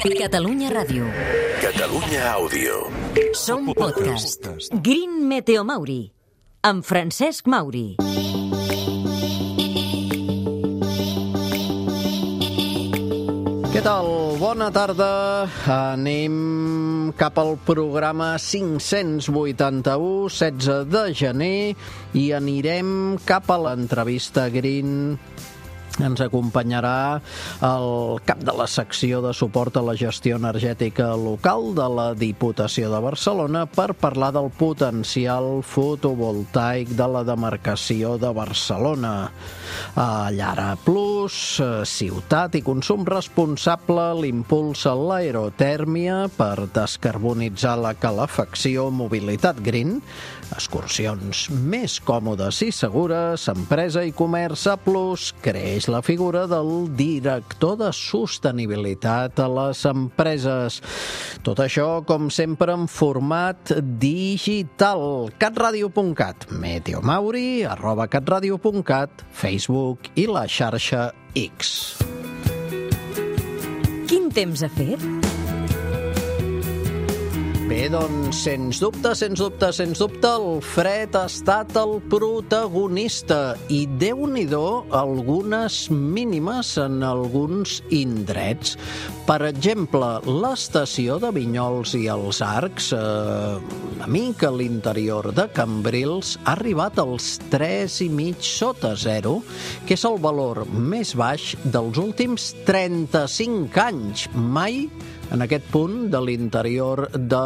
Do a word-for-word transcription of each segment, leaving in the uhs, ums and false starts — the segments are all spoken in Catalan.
Catalunya Ràdio. Catalunya Àudio. Som podcast. Green Meteo Mauri, amb Francesc Mauri. Què tal? Bona tarda. Anem cap al programa cinc-cents vuitanta-u, setze de gener, i anirem cap a l'entrevista Green. Ens acompanyarà el cap de la secció de suport a la gestió energètica local de la Diputació de Barcelona per parlar del potencial fotovoltaic de la demarcació de Barcelona. Llara Plus, ciutat i consum responsable, l'impuls a l'aerotèrmia per descarbonitzar la calefacció, mobilitat green, excursions més còmodes i segures, empresa i comerç A Plus, creix la figura del director de sostenibilitat a les empreses. Tot això, com sempre, en format digital. catradio punt cat, Meteo Mauri, arroba catradio punt cat, Facebook i la xarxa X. Quin temps ha fet? Bé, doncs, sens dubte, sens dubte, sens dubte, el fred ha estat el protagonista i, Déu-n'hi-do, algunes mínimes en alguns indrets. Per exemple, l'estació de Vinyols i els Arcs, eh, una mica a l'interior de Cambrils, ha arribat als tres i mig sota zero, que és el valor més baix dels últims trenta-cinc anys. Mai en aquest punt de l'interior de,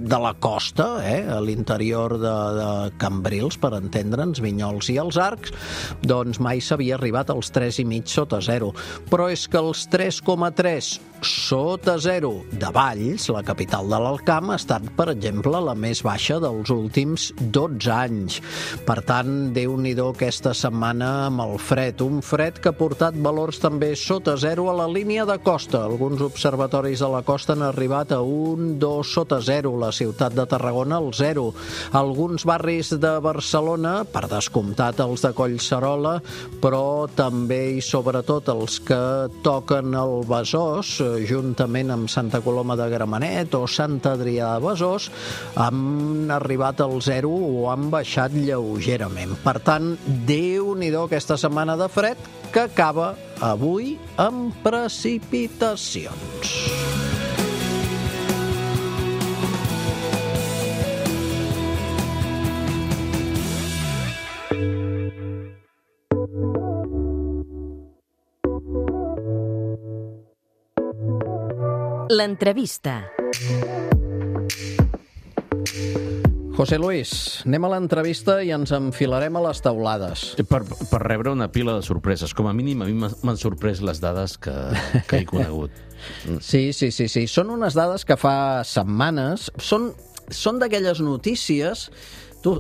de la costa, eh? a l'interior de, de Cambrils, per entendre'ns, Vinyols i els Arcs, doncs mai s'havia arribat als tres i mig sota zero. Però és que els tres coma tres sota zero de Valls, la capital de l'Alcamp, ha estat, per exemple, la més baixa dels últims dotze anys. Per tant, Déu-n'hi-do aquesta setmana amb el fred. Un fred que ha portat valors també sota zero a la línia de costa. Alguns observatoris de la costa han arribat a un, dos sota zero. La ciutat de Tarragona al zero. Alguns barris de Barcelona, per descomptat els de Collserola, però també i sobretot els que toquen el Besòs, juntament amb Santa Coloma de Gramenet o Sant Adrià de Besòs, han arribat al zero o han baixat lleugerament. Per tant, Déu-n'hi-do aquesta setmana de fred que acaba avui amb precipitacions. L'entrevista. José Luis, anem a l'entrevista i ens enfilarem a les teulades. Per, per rebre una pila de sorpreses. Com a mínim, a mi m'han sorprès les dades que, que he conegut. Sí, sí, sí, sí. Són unes dades que fa setmanes. Són, són d'aquelles notícies. Tu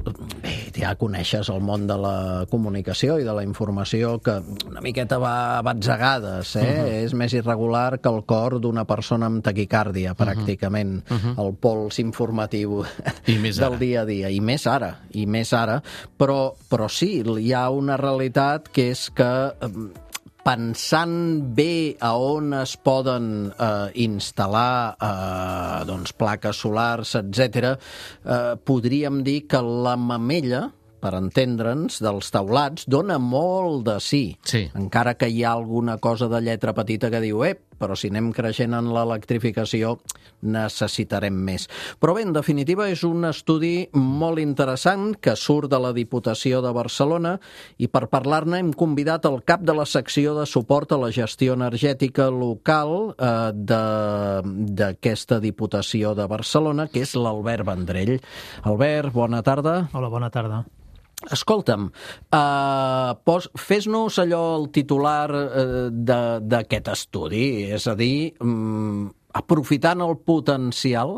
bé, ja coneixes el món de la comunicació i de la informació que una miqueta va a batzegades, eh? Uh-huh. És més irregular que el cor d'una persona amb taquicàrdia, pràcticament, uh-huh. el pols informatiu del dia a dia. I més ara, i més ara. Però, però sí, hi ha una realitat que és que pensant bé a on es poden eh, instal·lar eh, doncs, plaques solars, etcètera, eh, podríem dir que la mamella, per entendre'ns, dels teulats, dona molt de sí. Sí. Encara que hi ha alguna cosa de lletra petita que diu, ep, però si anem creixent en l'electrificació necessitarem més. Però bé, en definitiva, és un estudi molt interessant que surt de la Diputació de Barcelona i per parlar-ne hem convidat el cap de la secció de suport a la gestió energètica local eh, d'aquesta Diputació de Barcelona, que és l'Albert Vendrell. Albert, bona tarda. Hola, bona tarda. Escolta'm, uh, pos, fes-nos allò el titular uh, d'aquest estudi, és a dir, um, aprofitant el potencial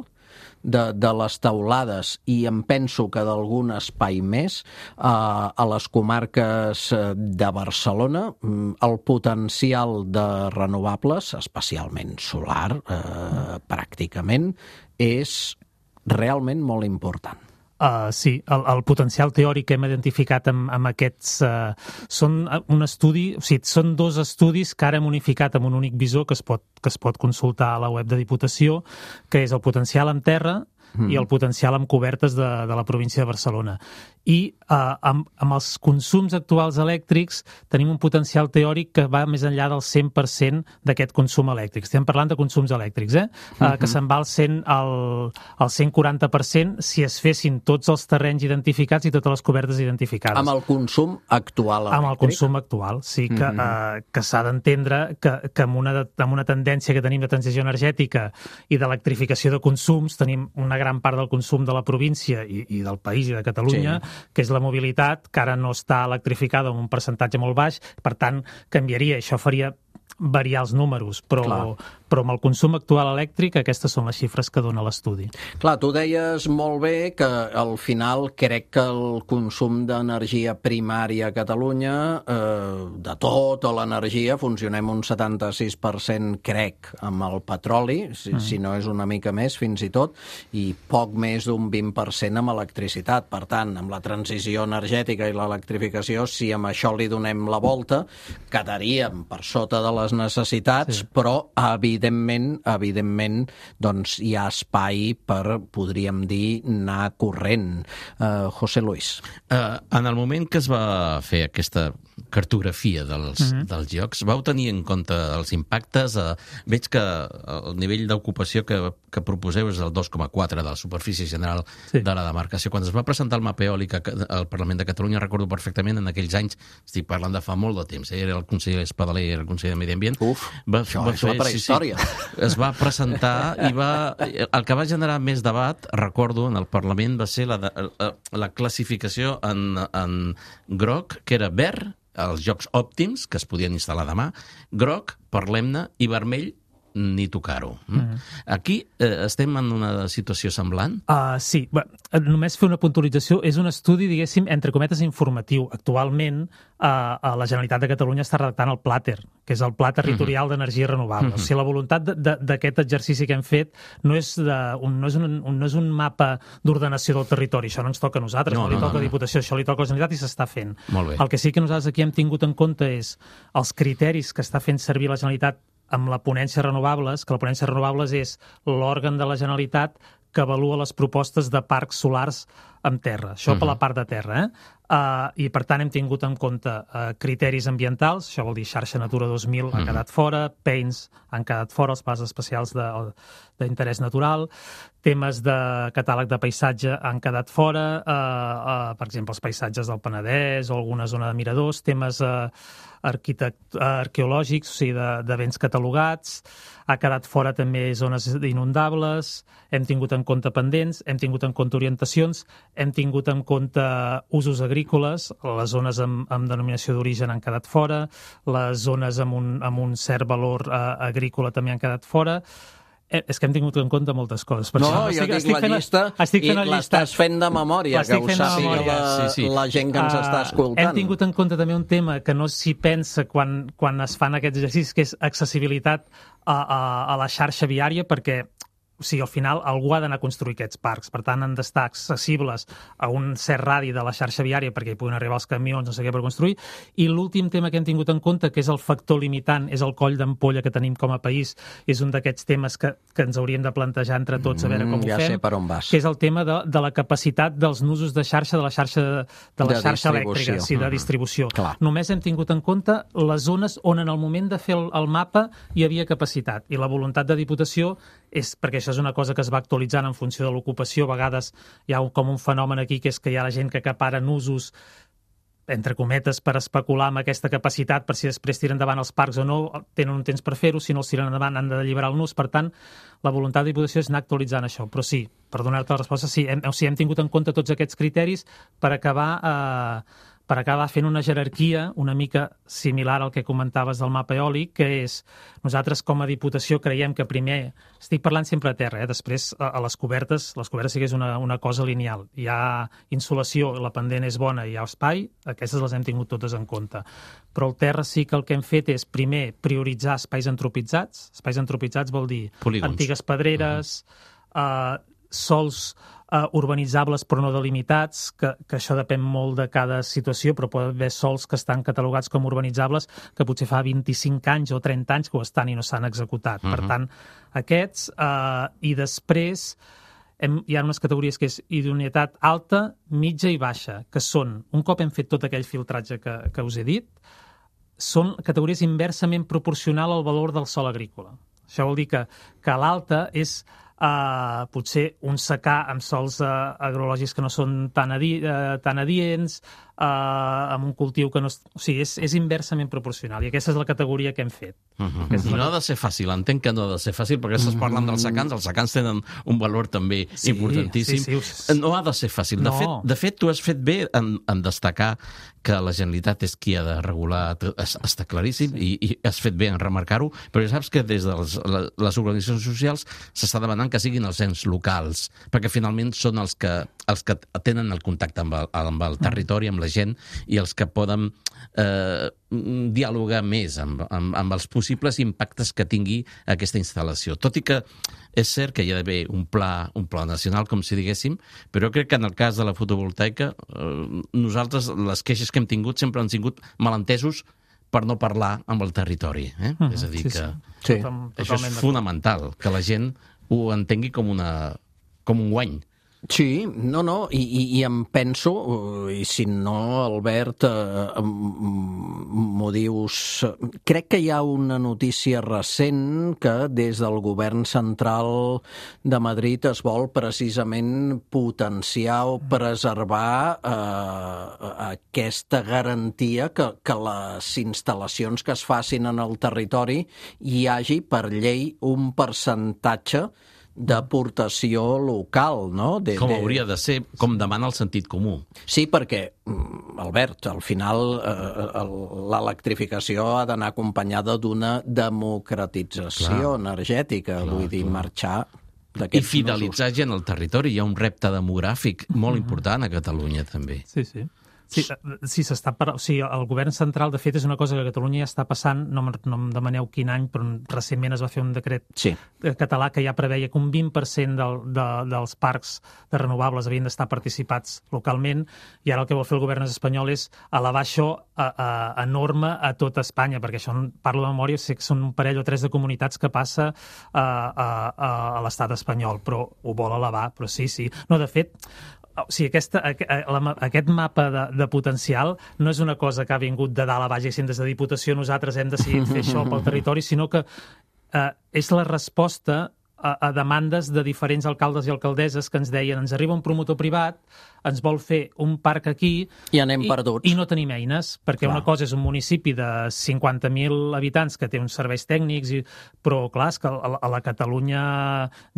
de, de les teulades i em penso que d'algun espai més uh, a les comarques de Barcelona, um, el potencial de renovables, especialment solar, uh, pràcticament, és realment molt important. Uh, sí, el, el potencial teòric que hem identificat amb, amb aquests uh, són un estudi, o sigui, són dos estudis que ara hem unificat amb un únic visor que es pot, que es pot consultar a la web de Diputació, que és el potencial en terra mm. i el potencial amb cobertes de, de la província de Barcelona. I uh, amb, amb els consums actuals elèctrics tenim un potencial teòric que va més enllà del cent per cent d'aquest consum elèctric. Estem parlant de consums elèctrics, eh? Uh, uh-huh. que se'n va al, cent, al, al cent quaranta per cent si es fessin tots els terrenys identificats i totes les cobertes identificades. Amb el consum actual elèctric? Amb el consum actual, sí, que, uh-huh. uh, que s'ha d'entendre que, que amb, una, amb una tendència que tenim de transició energètica i d'electrificació de consums, tenim una gran part del consum de la província i, i del país i de Catalunya, sí. que és la mobilitat, que ara no està electrificada en un percentatge molt baix, per tant, canviaria, això faria variar els números, però, però amb el consum actual elèctric aquestes són les xifres que dona l'estudi. Clar, tu deies molt bé que al final crec que el consum d'energia primària a Catalunya, eh, de tota l'energia, funcionem un setanta-sis per cent, crec, amb el petroli, si, mm. si no és una mica més, fins i tot, i poc més d'un vint per cent amb electricitat. Per tant, amb la transició energètica i l'electrificació, si amb això li donem la volta, quedaríem per sota de les necessitats, sí. però evidentment, evidentment doncs hi ha espai per, podríem dir, anar corrent. Uh, José Luis. Uh, en el moment que es va fer aquesta cartografia dels, mm-hmm. dels llocs, vau tenir en compte els impactes? Uh, veig que el nivell d'ocupació que, que proposeu és el dos coma quatre de la superfície general sí. de la demarcació. Quan es va presentar el mapa eòlic al Parlament de Catalunya, recordo perfectament en aquells anys, estic parlant de fa molt de temps, eh? Era el conseller Espadaler, era el conseller de Medi Ambient. Uf, va, això va és fer, la prehistòria. Sí, sí. Es va presentar i va... El que va generar més debat, recordo, en el Parlament, va ser la, de, la, la classificació en, en groc, que era verd, els jocs òptims, que es podien instal·lar demà, groc, parlem-ne, i vermell, ni tocar-ho. Mm. Aquí eh, estem en una situació semblant? Uh, sí. Bé, només fer una puntualització. És un estudi, diguéssim, entre cometes, informatiu. Actualment, uh, la Generalitat de Catalunya està redactant el Plater, que és el Pla Territorial mm-hmm. d'Energia Renovable. Mm-hmm. O sigui, la voluntat d'aquest exercici que hem fet no és, de, un, no és, un, un, no és un mapa d'ordenació del territori. Això no ens toca a nosaltres, no, no li no, toca no, a Diputació, això li toca a la Generalitat i s'està fent. El que sí que nosaltres aquí hem tingut en compte és els criteris que està fent servir la Generalitat amb la ponència renovables, que la ponència renovables és l'òrgan de la Generalitat que avalua les propostes de parcs solars en terra. Això uh-huh. per la part de terra, eh? Uh, I, per tant, hem tingut en compte uh, criteris ambientals, això vol dir xarxa Natura dos mil uh-huh. han quedat fora, P E I Ns han quedat fora, els plans especials d'interès natural, temes de catàleg de paisatge han quedat fora, uh, uh, per exemple, els paisatges del Penedès o alguna zona de miradors, temes uh, arquitect, uh, arqueològics, o sigui, de, de béns catalogats, ha quedat fora també zones inundables, hem tingut en compte pendents, hem tingut en compte orientacions, hem tingut en compte usos agrícoles, les zones amb, amb denominació d'origen han quedat fora, les zones amb un, amb un cert valor eh, agrícola també han quedat fora. Eh, és que hem tingut en compte moltes coses. Per no, això, jo estic, dic estic la fent, llista estic fent i l'estàs fent de memòria, que ho sàpiga la, sí, sí. la gent que ens uh, està escoltant. Hem tingut en compte també un tema que no s'hi pensa quan, quan es fan aquests exercicis, que és accessibilitat a, a, a la xarxa viària, perquè o sigui, al final algú ha d'anar a construir aquests parcs, per tant han d'estar accessibles a un cert radi de la xarxa viària perquè hi puguin arribar els camions, no sé què, per construir. I l'últim tema que hem tingut en compte, que és el factor limitant, és el coll d'ampolla que tenim com a país, és un d'aquests temes que, que ens hauríem de plantejar entre tots a veure com mm, ja ho fem, sé per on vas. Que és el tema de, de la capacitat dels nusos de xarxa, de la xarxa, de la de xarxa elèctrica, sí, de mm-hmm. distribució. Clar. Només hem tingut en compte les zones on en el moment de fer el, el mapa hi havia capacitat, i la voluntat de Diputació és, perquè això és una cosa que es va actualitzant en funció de l'ocupació, a vegades hi ha un, com un fenomen aquí, que és que hi ha la gent que acaparen usos, entre cometes, per especular amb aquesta capacitat, per si després tiren endavant els parcs o no, tenen un temps per fer-ho, si no els tiren endavant han d'alliberar el nus. Per tant, la voluntat de Diputació és anar actualitzant això. Però sí, per donar-te la resposta, sí, hem, o sigui, hem tingut en compte tots aquests criteris per acabar... Eh, per acabar fent una jerarquia una mica similar al que comentaves del mapa eòlic, que és, nosaltres com a Diputació creiem que primer, estic parlant sempre a terra, eh? Després a, a les cobertes, les cobertes sí que és una, una cosa lineal. Hi ha insolació, la pendent és bona, hi ha espai, aquestes les hem tingut totes en compte. Però al terra sí que el que hem fet és, primer, prioritzar espais antropitzats. Espais antropitzats vol dir Polígons. Antigues pedreres, uh-huh. uh, sols uh, urbanitzables però no delimitats, que, que això depèn molt de cada situació, però pot haver sols que estan catalogats com urbanitzables que potser fa vint-i-cinc anys o trenta anys que ho estan i no s'han executat. Uh-huh. Per tant, aquests, uh, i després hem, hi ha unes categories que és idoneïtat alta, mitja i baixa, que són, un cop hem fet tot aquell filtratge que, que us he dit, són categories inversament proporcional al valor del sòl agrícola. Això vol dir que, que l'alta és uh, potser un secà amb sòls uh, agrològics que no són tan, adi uh, tan adients, uh, amb un cultiu que no... És, o sigui, és, és inversament proporcional, i aquesta és la categoria que hem fet. Uh-huh. I no ha de ser fàcil, entenc que no ha de ser fàcil, perquè estàs parlant dels secans, els secans tenen un valor també sí, importantíssim. Sí, sí, no ha de ser fàcil. De, no. fet, de fet, tu has fet bé en, en destacar que la Generalitat és qui ha de regular, està claríssim, sí. i, i has fet bé en remarcar-ho, però ja saps que des de les, les organitzacions socials s'està demanant que siguin els ens locals, perquè finalment són els que, els que tenen el contacte amb el, amb el territori, amb la gent, i els que poden eh, dialogar més amb, amb, amb els possibles impactes que tingui aquesta instal·lació. Tot i que és cert que hi ha d'haver un pla, un pla nacional, com si diguéssim, però crec que en el cas de la fotovoltaica, eh, nosaltres, les queixes que hem tingut sempre han tingut malentesos per no parlar amb el territori. Eh? Uh-huh. És a dir, sí, que sí. això és fonamental, que la gent ho entengui com, una, com un guany. Sí, no, no, i, i, i em penso, i si no, Albert, eh, m'ho dius... Crec que hi ha una notícia recent que des del govern central de Madrid es vol precisament potenciar o preservar eh, aquesta garantia que, que les instal·lacions que es facin en el territori hi hagi per llei un percentatge d'aportació local, no? De, com hauria de ser, com demana el sentit comú. Sí, perquè, Albert, al final eh, l'electrificació ha d'anar acompanyada d'una democratització Clar. energètica, Clar, vull dir, marxar i fidelitzar gent al territori. Hi ha un repte demogràfic molt mm-hmm. important a Catalunya, també. Sí, sí. Sí, sí s'està per... o sigui, el govern central, de fet, és una cosa que a Catalunya ja està passant, no, no em demaneu quin any, però recentment es va fer un decret sí. català que ja preveia que un vint per cent del, de, dels parcs de renovables havien d'estar participats localment, i ara el que vol fer el govern espanyol és elevar això a, a, a norma a tot Espanya, perquè això, parlo de memòria, sé que són un parell o tres de comunitats que passa a, a, a, a l'estat espanyol, però ho vol elevar, però sí, sí. No, de fet, o sigui, aquesta, aquest mapa de, de potencial no és una cosa que ha vingut de dalt a baix, i des de Diputació nosaltres hem decidit fer això pel territori, sinó que eh, és la resposta a, a demandes de diferents alcaldes i alcaldesses que ens deien, ens arriba un promotor privat, ens vol fer un parc aquí i anem perduts. I, i no tenim eines, perquè clar. Una cosa és un municipi de cinquanta mil habitants que té uns serveis tècnics, i, però clar, és que a, a la Catalunya,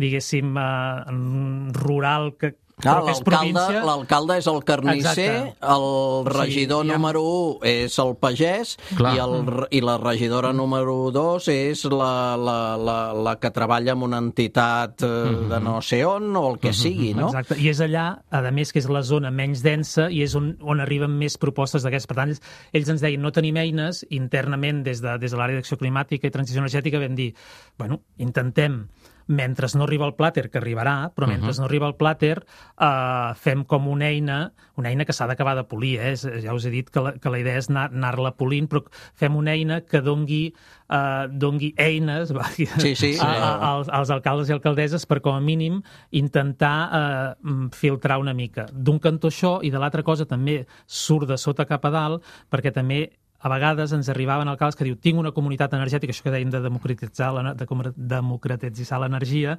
diguéssim, eh, rural, que Ah, l'alcalde és el carnisser, Exacte. el regidor sí, ja... número un és el pagès i, el, i la regidora número dos és la, la, la, la que treballa en una entitat uh, de no sé on o el que uh-huh. sigui, no? Exacte, i és allà, a més, que és la zona menys densa i és on, on arriben més propostes d'aquestes. Per tant, ells ens deien, no tenim eines, internament des de, des de l'àrea d'acció climàtica i transició energètica vam dir, bueno, intentem mentre no arriba el plàter, que arribarà, però mentre uh-huh. no arriba el plàter, eh, fem com una eina, una eina que s'ha d'acabar de polir, eh? Ja us he dit que la, que la idea és anar, anar-la polint, però fem una eina que dongui, eh, dongui eines va, sí, sí, a, a, als, als alcaldes i alcaldesses per, com a mínim, intentar eh, filtrar una mica. D'un cantó això, i de l'altra cosa també surt de sota cap a dalt, perquè també a vegades ens arribaven alcaldes que diu tinc una comunitat energètica, això que dèiem de democratitzar, de democratitzar l'energia,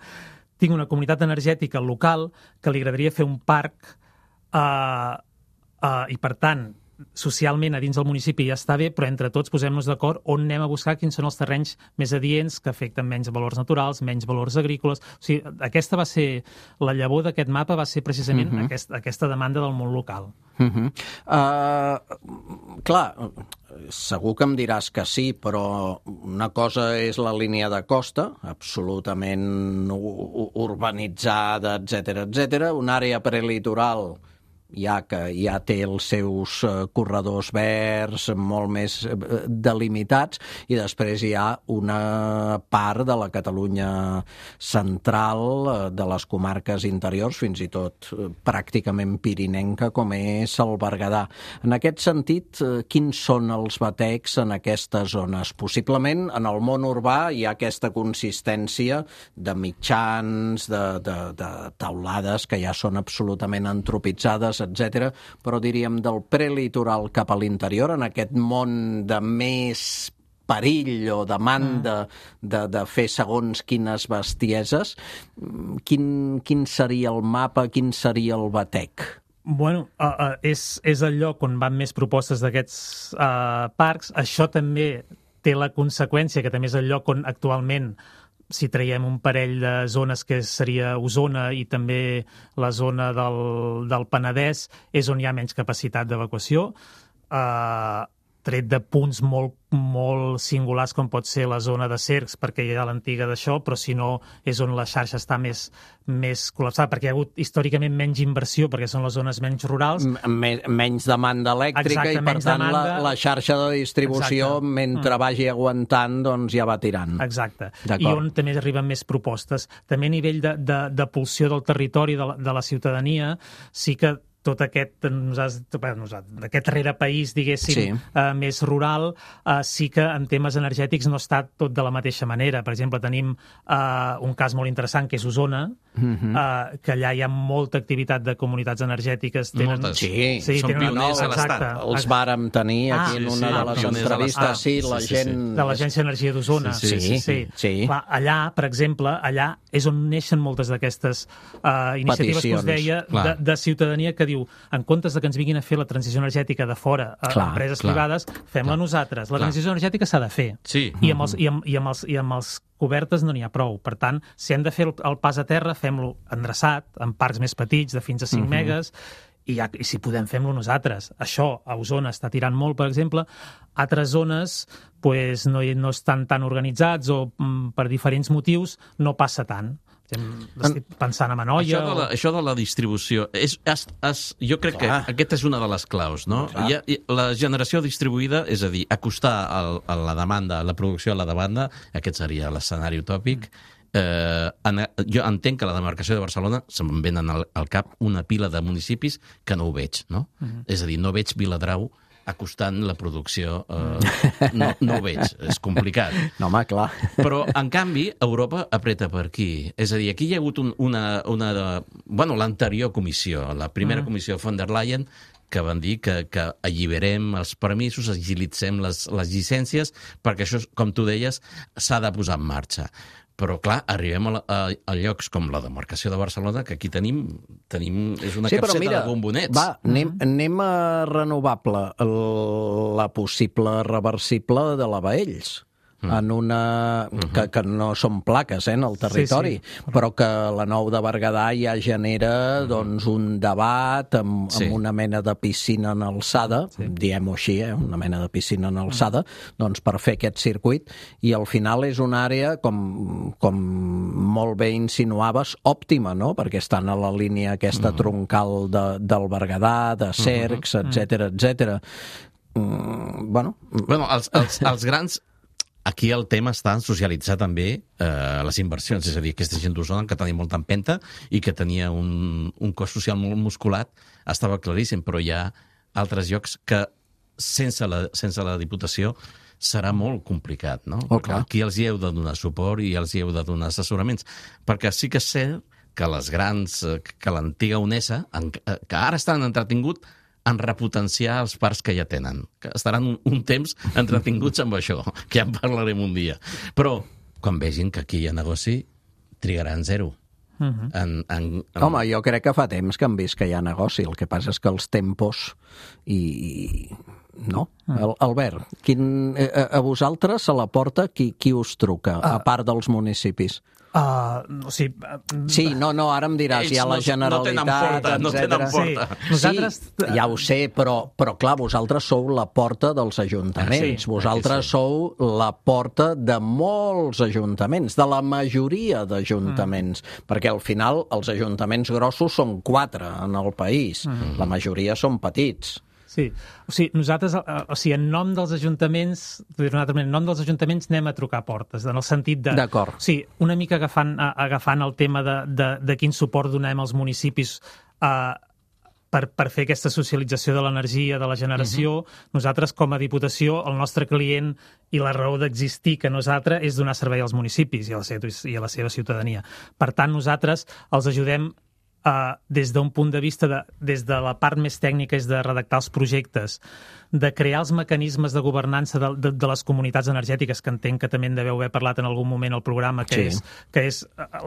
tinc una comunitat energètica local que li agradaria fer un parc eh, eh, i, per tant, socialment a dins del municipi ja està bé, però entre tots posem-nos d'acord on anem a buscar quins són els terrenys més adients que afecten menys valors naturals, menys valors agrícoles. O sigui, aquesta va ser, la llavor d'aquest mapa va ser precisament uh-huh. aquest, aquesta demanda del món local. Uh-huh. Uh, clar, segur que em diràs que sí, però una cosa és la línia de costa, absolutament urbanitzada, etcètera, etcètera, una àrea prelitoral ja que ja té els seus corredors verds molt més delimitats, i després hi ha una part de la Catalunya central, de les comarques interiors, fins i tot pràcticament pirinenca, com és el Berguedà. En aquest sentit, quins són els batecs en aquestes zones? Possiblement, en el món urbà hi ha aquesta consistència de mitjans, de, de, de taulades que ja són absolutament antropitzades, etcètera, però diríem del prelitoral cap a l'interior, en aquest món de més perill o demanda de, de fer segons quines bestieses, quin, quin seria el mapa, quin seria el batec? Bueno, uh, uh, és, és el lloc on van més propostes d'aquests uh, parcs. Això també té la conseqüència que també és el lloc on actualment, si traiem un parell de zones que seria Osona i també la zona del, del Penedès, és on hi ha menys capacitat d'evacuació. Uh, tret de punts molt, molt singulars com pot ser la zona de Cercs, perquè hi ha l'antiga d'això, però si no és on la xarxa està més, més col·lapsada, perquè hi ha hagut històricament menys inversió, perquè són les zones menys rurals. Men menys demanda elèctrica. Exacte, i per tant demanda... la, la xarxa de distribució, exacte, mentre mm. vagi aguantant, doncs ja va tirant. Exacte. I on també arriben més propostes. També a nivell de, de, de pulsió del territori, de la, de la ciutadania, sí que tot aquest, aquest rere-país, diguéssim, sí. uh, més rural, uh, sí que en temes energètics no està tot de la mateixa manera. Per exemple, tenim uh, un cas molt interessant, que és Osona, uh-huh. uh, que allà hi ha molta activitat de comunitats energètiques. Tenen... Moltes. Sí, sí són tenen... pioners no, a l'Estat. Els vàrem tenir aquí ah, en una sí, de les sí, entrevistes, ah, sí, la sí, gent... Sí, sí. De l'Agència d'Energia d'Osona. Sí, sí, sí. sí. sí. sí. Clar, allà, per exemple, allà és on neixen moltes d'aquestes uh, iniciatives Peticions. que us deia de, de ciutadania que diu, en comptes de que ens vinguin a fer la transició energètica de fora a clar, empreses clar, privades, fem-la nosaltres. La clar. transició energètica s'ha de fer. Sí. I amb els, i amb, i amb els, i amb els cobertes no n'hi ha prou. Per tant, si hem de fer el, el pas a terra, fem-lo endreçat, en parcs més petits, de fins a cinc uh-huh. megas, i, ja, i si podem, fem-lo nosaltres. Això a Osona està tirant molt, per exemple. Altres zones pues, no, no estan tan organitzats o mm, per diferents motius no passa tant. Estic pensant en Anoia... Això de la, o... això de la distribució, és, és, és, jo crec Clar. que aquesta és una de les claus, no? Hi ha, la generació distribuïda, és a dir, acostar el, a la demanda, la producció a la demanda, aquest seria l'escenari utòpic. Eh, en, jo entenc que la demarcació de Barcelona se'm venen al, al cap una pila de municipis que no ho veig, no? Uh-huh. És a dir, no veig Viladrau acostant la producció, eh, no, no ho veig, és complicat. No, home, clar. Però, en canvi, Europa apreta per aquí. És a dir, aquí hi ha hagut un, una... una de, bueno, l'anterior comissió, la primera mm. comissió von der Leyen, que van dir que, que alliberem els permisos, agilitzem les, les llicències, perquè això, com tu deies, s'ha de posar en marxa. Però, clar, arribem a, a, a llocs com la demarcació de Barcelona, que aquí tenim, tenim és una sí, capseta mira, de bombonets. Va, anem, anem a renovable, la possible reversible de la Baells. en una... que, que no són plaques eh, en el territori, sí, sí. però que la Nou de Berguedà ja genera doncs, un debat amb, sí. amb una mena de piscina en alçada, sí. diem-ho així, eh, una mena de piscina en alçada, doncs per fer aquest circuit, i al final és una àrea, com, com molt bé insinuaves, òptima, no? Perquè estan a la línia aquesta troncal de, del Berguedà, de Cercs, etcètera, etcètera. Mm, bueno... Bueno, els, els, els grans... Aquí el tema està en socialitzar també eh, les inversions, és a dir, aquesta gent d'Osona que tenia molta empenta i que tenia un, un cos social molt musculat, estava claríssim, però hi ha altres llocs que sense la, sense la Diputació serà molt complicat, no? Oh, clar. Aquí els hi heu de donar suport i els hi heu de donar assessoraments, perquè sí que és cert que les grans, que l'antiga UNESA, que ara estan entretingut en repotenciar els parcs que ja tenen, que estaran un, un temps entretinguts amb això, que ja en parlarem un dia. Però, quan vegin que aquí hi ha negoci, trigaran zero. Uh-huh. en, en, en... Home, jo crec que fa temps que han vist que hi ha negoci. El que passa és que els tempos i, No. El, Albert, quin, a, a vosaltres a la porta qui, qui us truca, a part dels municipis? Uh, o sigui, sí, no, no, ara em diràs, hi ha la Generalitat, no tenen porta, etcètera. no tenen porta. Sí, sí, ja ho sé, però, però clar, vosaltres sou la porta dels ajuntaments, sí, vosaltres sí. sou la porta de molts ajuntaments, de la majoria d'ajuntaments, mm. perquè al final els ajuntaments grossos són quatre en el país, mm. la majoria són petits. Sí, o sigui, nosaltres, o sigui, en nom dels ajuntaments, en nom dels ajuntaments anem a trucar portes, en el sentit de... D'acord. O sigui, una mica agafant, agafant el tema de, de, de quin suport donem als municipis eh, per, per fer aquesta socialització de l'energia, de la generació, uh-huh. nosaltres com a Diputació, el nostre client i la raó d'existir que nosaltres és donar servei als municipis i a la seva, i a la seva ciutadania. Per tant, nosaltres els ajudem Uh, des d'un punt de vista, de, des de la part més tècnica és de redactar els projectes, de crear els mecanismes de governança de, de, de les comunitats energètiques, que entenc que també en deveu haver parlat en algun moment al programa, que, sí. és, que és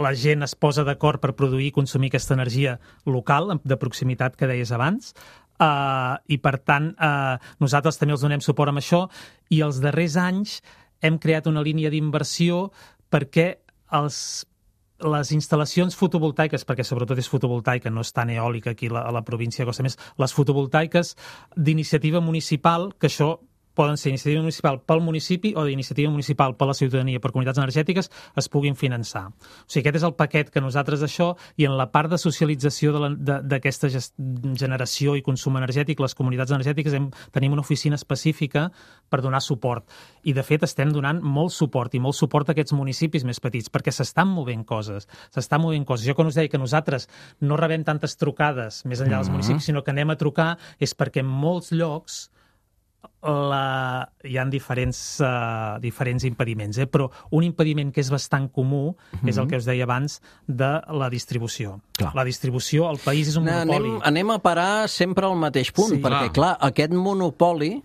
la gent es posa d'acord per produir i consumir aquesta energia local, de proximitat que deies abans, uh, i per tant uh, nosaltres també els donem suport amb això, i els darrers anys hem creat una línia d'inversió perquè els les instal·lacions fotovoltaiques, perquè sobretot és fotovoltaica, no és tan eòlica aquí a la, a la província de Costa, més les fotovoltaiques d'iniciativa municipal, que això poden ser iniciativa municipal pel municipi o d'iniciativa municipal per la ciutadania, per comunitats energètiques, es puguin finançar. O sigui, aquest és el paquet que nosaltres d'això, i en la part de socialització d'aquesta generació i consum energètic, les comunitats energètiques hem, tenim una oficina específica per donar suport. I, de fet, estem donant molt suport, i molt suport a aquests municipis més petits, perquè s'estan movent coses. S'estan movent coses. Jo quan us deia que nosaltres no rebem tantes trucades més enllà dels mm-hmm. municipis, sinó que anem a trucar, és perquè en molts llocs La... hi ha diferents, uh, diferents impediments, eh? Però un impediment que és bastant comú mm-hmm. és el que us deia abans de la distribució. Clar. La distribució, el país és un monopoli. Anem, anem a parar sempre al mateix punt, sí, perquè, clar, clar aquest monopoli...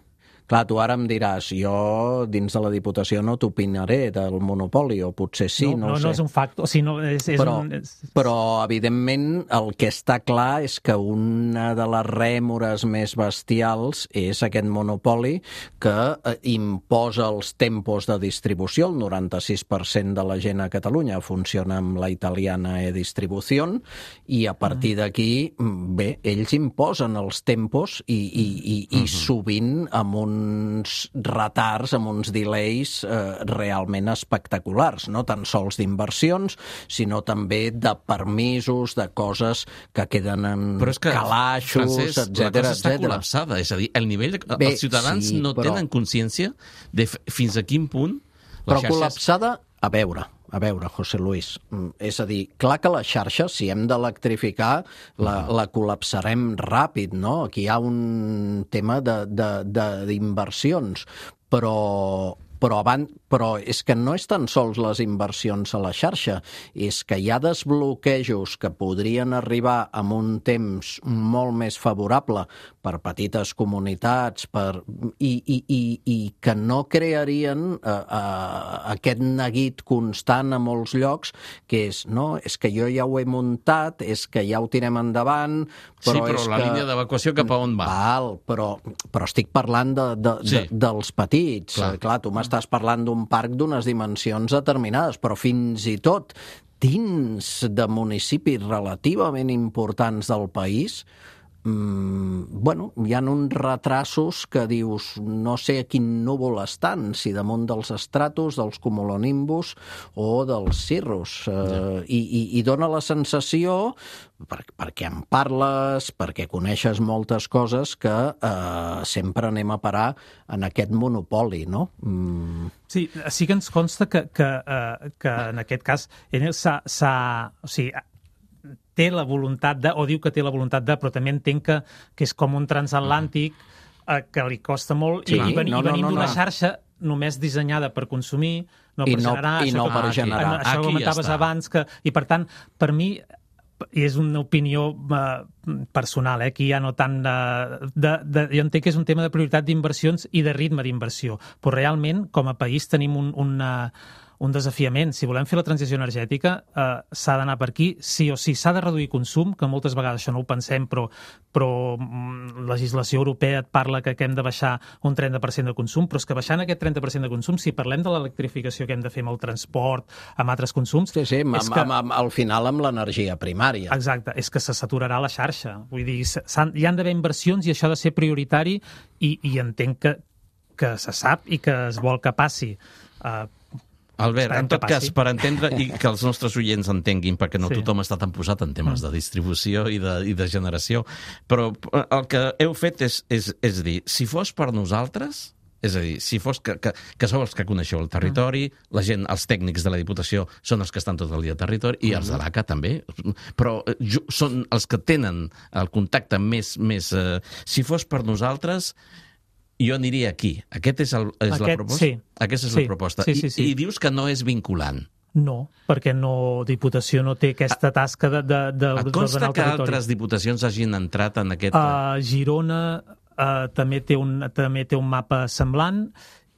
Clar, tu ara em diràs, jo dins de la Diputació no t'opinaré del monopoli, o potser sí, no, no, no ho sé. No, no és un factor, o sigui, no, és, és però, un... És... però, evidentment, el que està clar és que una de les rèmores més bestials és aquest monopoli que eh, imposa els tempos de distribució. El noranta-sis per cent de la gent a Catalunya funciona amb la italiana e-distribució, i a partir d'aquí, bé, ells imposen els tempos i, i, i, i uh-huh. sovint amb un uns retards, amb uns delays eh, realment espectaculars, no tan sols d'inversions, sinó també de permisos, de coses que queden en però és que, calaixos, Francesc, etcètera, la cosa està etcètera. col·lapsada, és a dir, el nivell de... Bé, els ciutadans sí, no però... tenen consciència de fins a quin punt les però xarxes... col·lapsada, a veure, a veure, José Luis, és a dir, clar que la xarxa, si hem d'electrificar, la, la col·lapsarem ràpid, no? Aquí hi ha un tema d'inversions, però... Però, abans, però és que no és tan sols les inversions a la xarxa, és que hi ha desbloquejos que podrien arribar amb un temps molt més favorable per petites comunitats per, i, i, i, i que no crearien eh, eh, aquest neguit constant a molts llocs, que és, no, és que jo ja ho he muntat, és que ja ho tirem endavant... Però sí, però és la que... línia d'evacuació cap a on va? Val, però, però estic parlant de, de, sí. de, dels petits. Clar, Clar tu m'has estàs parlant d'un parc d'unes dimensions determinades, però fins i tot dins de municipis relativament importants del país, mmm, bueno, hi ha uns retrasos que dius, no sé a quin núvol estan, si damunt dels estratos, dels cumulonimbus o dels cirrus. Ja. Eh, i, i, I dona la sensació, per, perquè en parles, perquè coneixes moltes coses, que eh, sempre anem a parar en aquest monopoli, no? Mm. Sí, sí que ens consta que, que, eh, que en aquest cas ell s'ha... O sigui, té la voluntat de, o diu que té la voluntat de, però també entenc que, que és com un transatlàntic eh, que li costa molt, sí, i, ven, no, i venim no, no, d'una no. xarxa només dissenyada per consumir, no per I no, generar, i això no que, per generar. Això que comentaves ja abans, que, i per tant, per mi, i és una opinió eh, personal, eh, aquí ja no tant de, de, de... Jo entenc que és un tema de prioritat d'inversions i de ritme d'inversió, però realment, com a país, tenim un, una, un desafiament. Si volem fer la transició energètica, eh, s'ha d'anar per aquí, sí o sí. S'ha de reduir consum, que moltes vegades això no ho pensem, però, però mm, legislació europea et parla que, que hem de baixar un trenta per cent de consum, però és que baixant aquest trenta per cent de consum, si parlem de l'electrificació que hem de fer amb el transport, amb altres consums... Sí, sí, amb, és que, amb, amb, al final amb l'energia primària. Exacte, és que se saturarà la xarxa. Vull dir, hi han d'haver inversions i això ha de ser prioritari i, i entenc que, que se sap i que es vol que passi. Uh, Albert, en tot cas, per entendre i que els nostres oients entenguin, perquè no Sí. tothom està tan posat en temes de distribució i de, i de generació, però el que heu fet és, és, és dir, si fos per nosaltres, és a dir, si fos que, que, que sou els que coneixeu el territori, la gent, els tècnics de la Diputació són els que estan tot el dia al territori, i els de l'A C A també, però jo, són els que tenen el contacte més... més eh, si fos per nosaltres, jo aniria aquí. Aquest és, el, és Aquest, la proposta? sí. Aquesta és Sí, la proposta. sí, sí, sí. I, I dius que no és vinculant. no, perquè no, Diputació no té aquesta tasca de, de, de, Et d'ordenar consta el que territori. altres diputacions hagin entrat en aquest... Uh, Girona uh, també, té un, també té un mapa semblant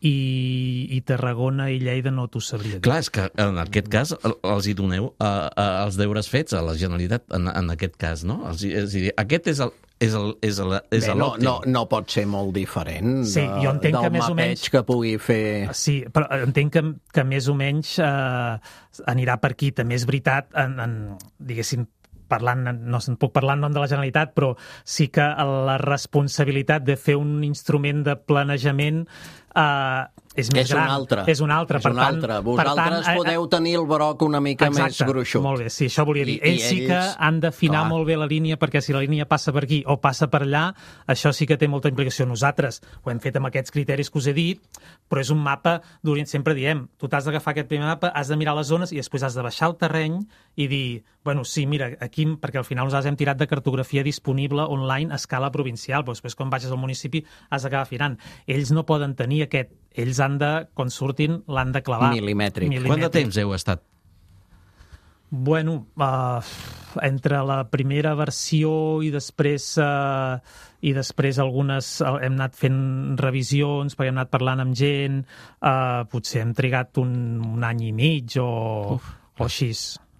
i, i Tarragona i Lleida no t'ho sabria dir. Clar, és que en aquest cas el- els hi doneu uh, uh, els deures fets a la Generalitat en, en aquest cas, no? Els, hi- és a dir, aquest és el és el, és el, és Bé, no, l'òptim. no, no pot ser molt diferent Sí, de, jo entenc del que més o mapeig menys- que pugui fer... Sí, però entenc que, que més o menys eh, anirà per aquí. També és veritat, en, en, diguéssim, parlant, no se'n puc parlar en nom de la Generalitat, però sí que la responsabilitat de fer un instrument de planejament eh, és més És gran. un altre. És un altre. És per un tant, altre. per Vosaltres tant, podeu tenir el broc una mica Exacte, més gruixut. molt bé, sí, això volia dir. I- i ells sí que ells- han d'afinar clar. molt bé la línia, perquè si la línia passa per aquí o passa per allà, això sí que té molta implicació. Nosaltres ho hem fet amb aquests criteris que us he dit, però és un mapa d'Orient. Sempre diem, tu t'has d'agafar aquest primer mapa, has de mirar les zones i després has de baixar el terreny i dir, bueno, sí, mira, aquí, perquè al final nosaltres hem tirat de cartografia disponible online a escala provincial, però després quan baixes al municipi has d'acabar afinant. Ells no poden tenir aquest, ells han de, quan surtin, l'han de clavar. Milimètric. Quant de temps heu estat? Bueno, uh, entre la primera versió i després uh, i després algunes uh, hem anat fent revisions perquè hem anat parlant amb gent, uh, potser hem trigat un, un any i mig o, o així.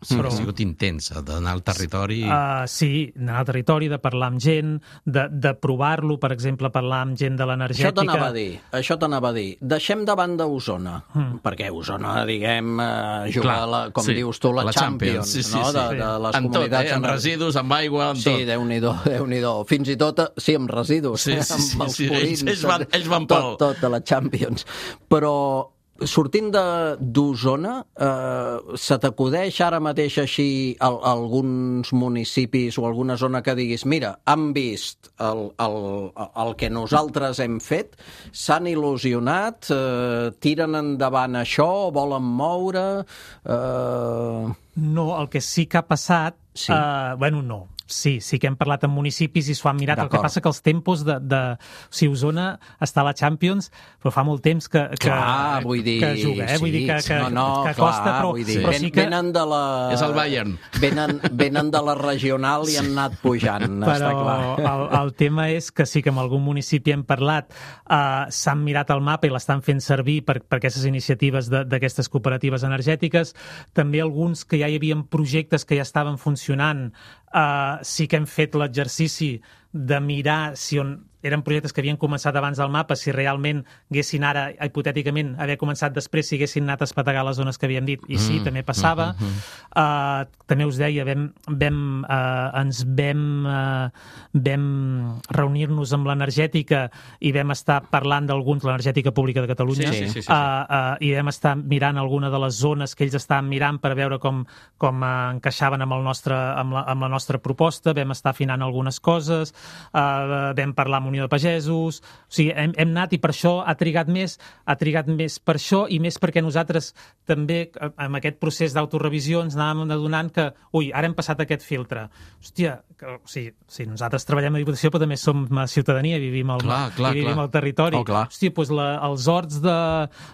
Sí, Però, ha sigut intensa, d'anar al territori... uh, sí, anar al territori, de parlar amb gent, de, de provar-lo, per exemple, parlar amb gent de l'energètica. Això t'anava a dir, això t'anava a dir. Deixem de banda Osona, Mm. perquè Osona, diguem, eh, juga, Clar, a la, com sí, dius tu, la, la Champions, Champions, sí, sí, no? sí. De, de les en tot, comunitats... eh? Amb residus, amb aigua, amb Sí, tot. Déu-n'hi-do, Déu-n'hi-do. Fins i tot, eh, sí, amb residus, Sí, eh, sí, amb sí, els sí, purins. ells- ells van- ells van tot, pel- tot de la Champions. Però sortint de- d'Osona, eh, se t'acudeix ara mateix així al, alguns municipis o alguna zona que diguis, mira, han vist el, el, el que nosaltres hem fet, s'han il·lusionat, eh, tiren endavant això, volen moure... Eh... No, el que sí que ha passat... Sí. Uh, bueno, no. Sí, sí que hem parlat amb municipis i s'ho han mirat. El que D'acord. passa que els tempos de... de o sigui, Osona està a la Champions, però fa molt temps que, que, Clar, vull dir... que juga, eh? sí, vull dir que, que, no, no, que clar, costa, però, vull dir, però ven, sí que... venen de la... És el Bayern. Venen, venen de la regional i han anat pujant, està Però clar. el, el tema és que sí que amb algun municipi hem parlat, uh, s'han mirat el mapa i l'estan fent servir per, per aquestes iniciatives de- d'aquestes cooperatives energètiques. També alguns que ja hi havia projectes que ja estaven funcionant, uh, sí que hem fet l'exercici de mirar si on eren projectes que havien començat abans del mapa, si realment haguessin ara, hipotèticament, haver començat després, si haguessin anat a espetegar les zones que havíem dit. I sí, Mm, també passava. mm, mm, Uh, també us deia, vam, vam, uh, ens vam, uh, vam reunir-nos amb l'energètica i vam estar parlant d'alguns, l'energètica pública de Catalunya, Sí, sí, sí, sí, sí. Uh, uh, i vam estar mirant alguna de les zones que ells estaven mirant per veure com, com uh, encaixaven amb, el nostre, amb, la, amb la nostra proposta, vam estar afinant algunes coses, uh, vam parlar amb Unió de Pagesos, o sigui, hem, hem anat i per això ha trigat més, ha trigat més per això i més perquè nosaltres també, eh, amb aquest procés d'autorevisió, ens anàvem adonant que, ui, ara hem passat aquest filtre. Hòstia, que, o sigui, sí, nosaltres treballem a Diputació, però també som a ciutadania, vivim al, Clar, clar, i vivim clar. al territori. Oh, clar. Hòstia, doncs la, els horts de,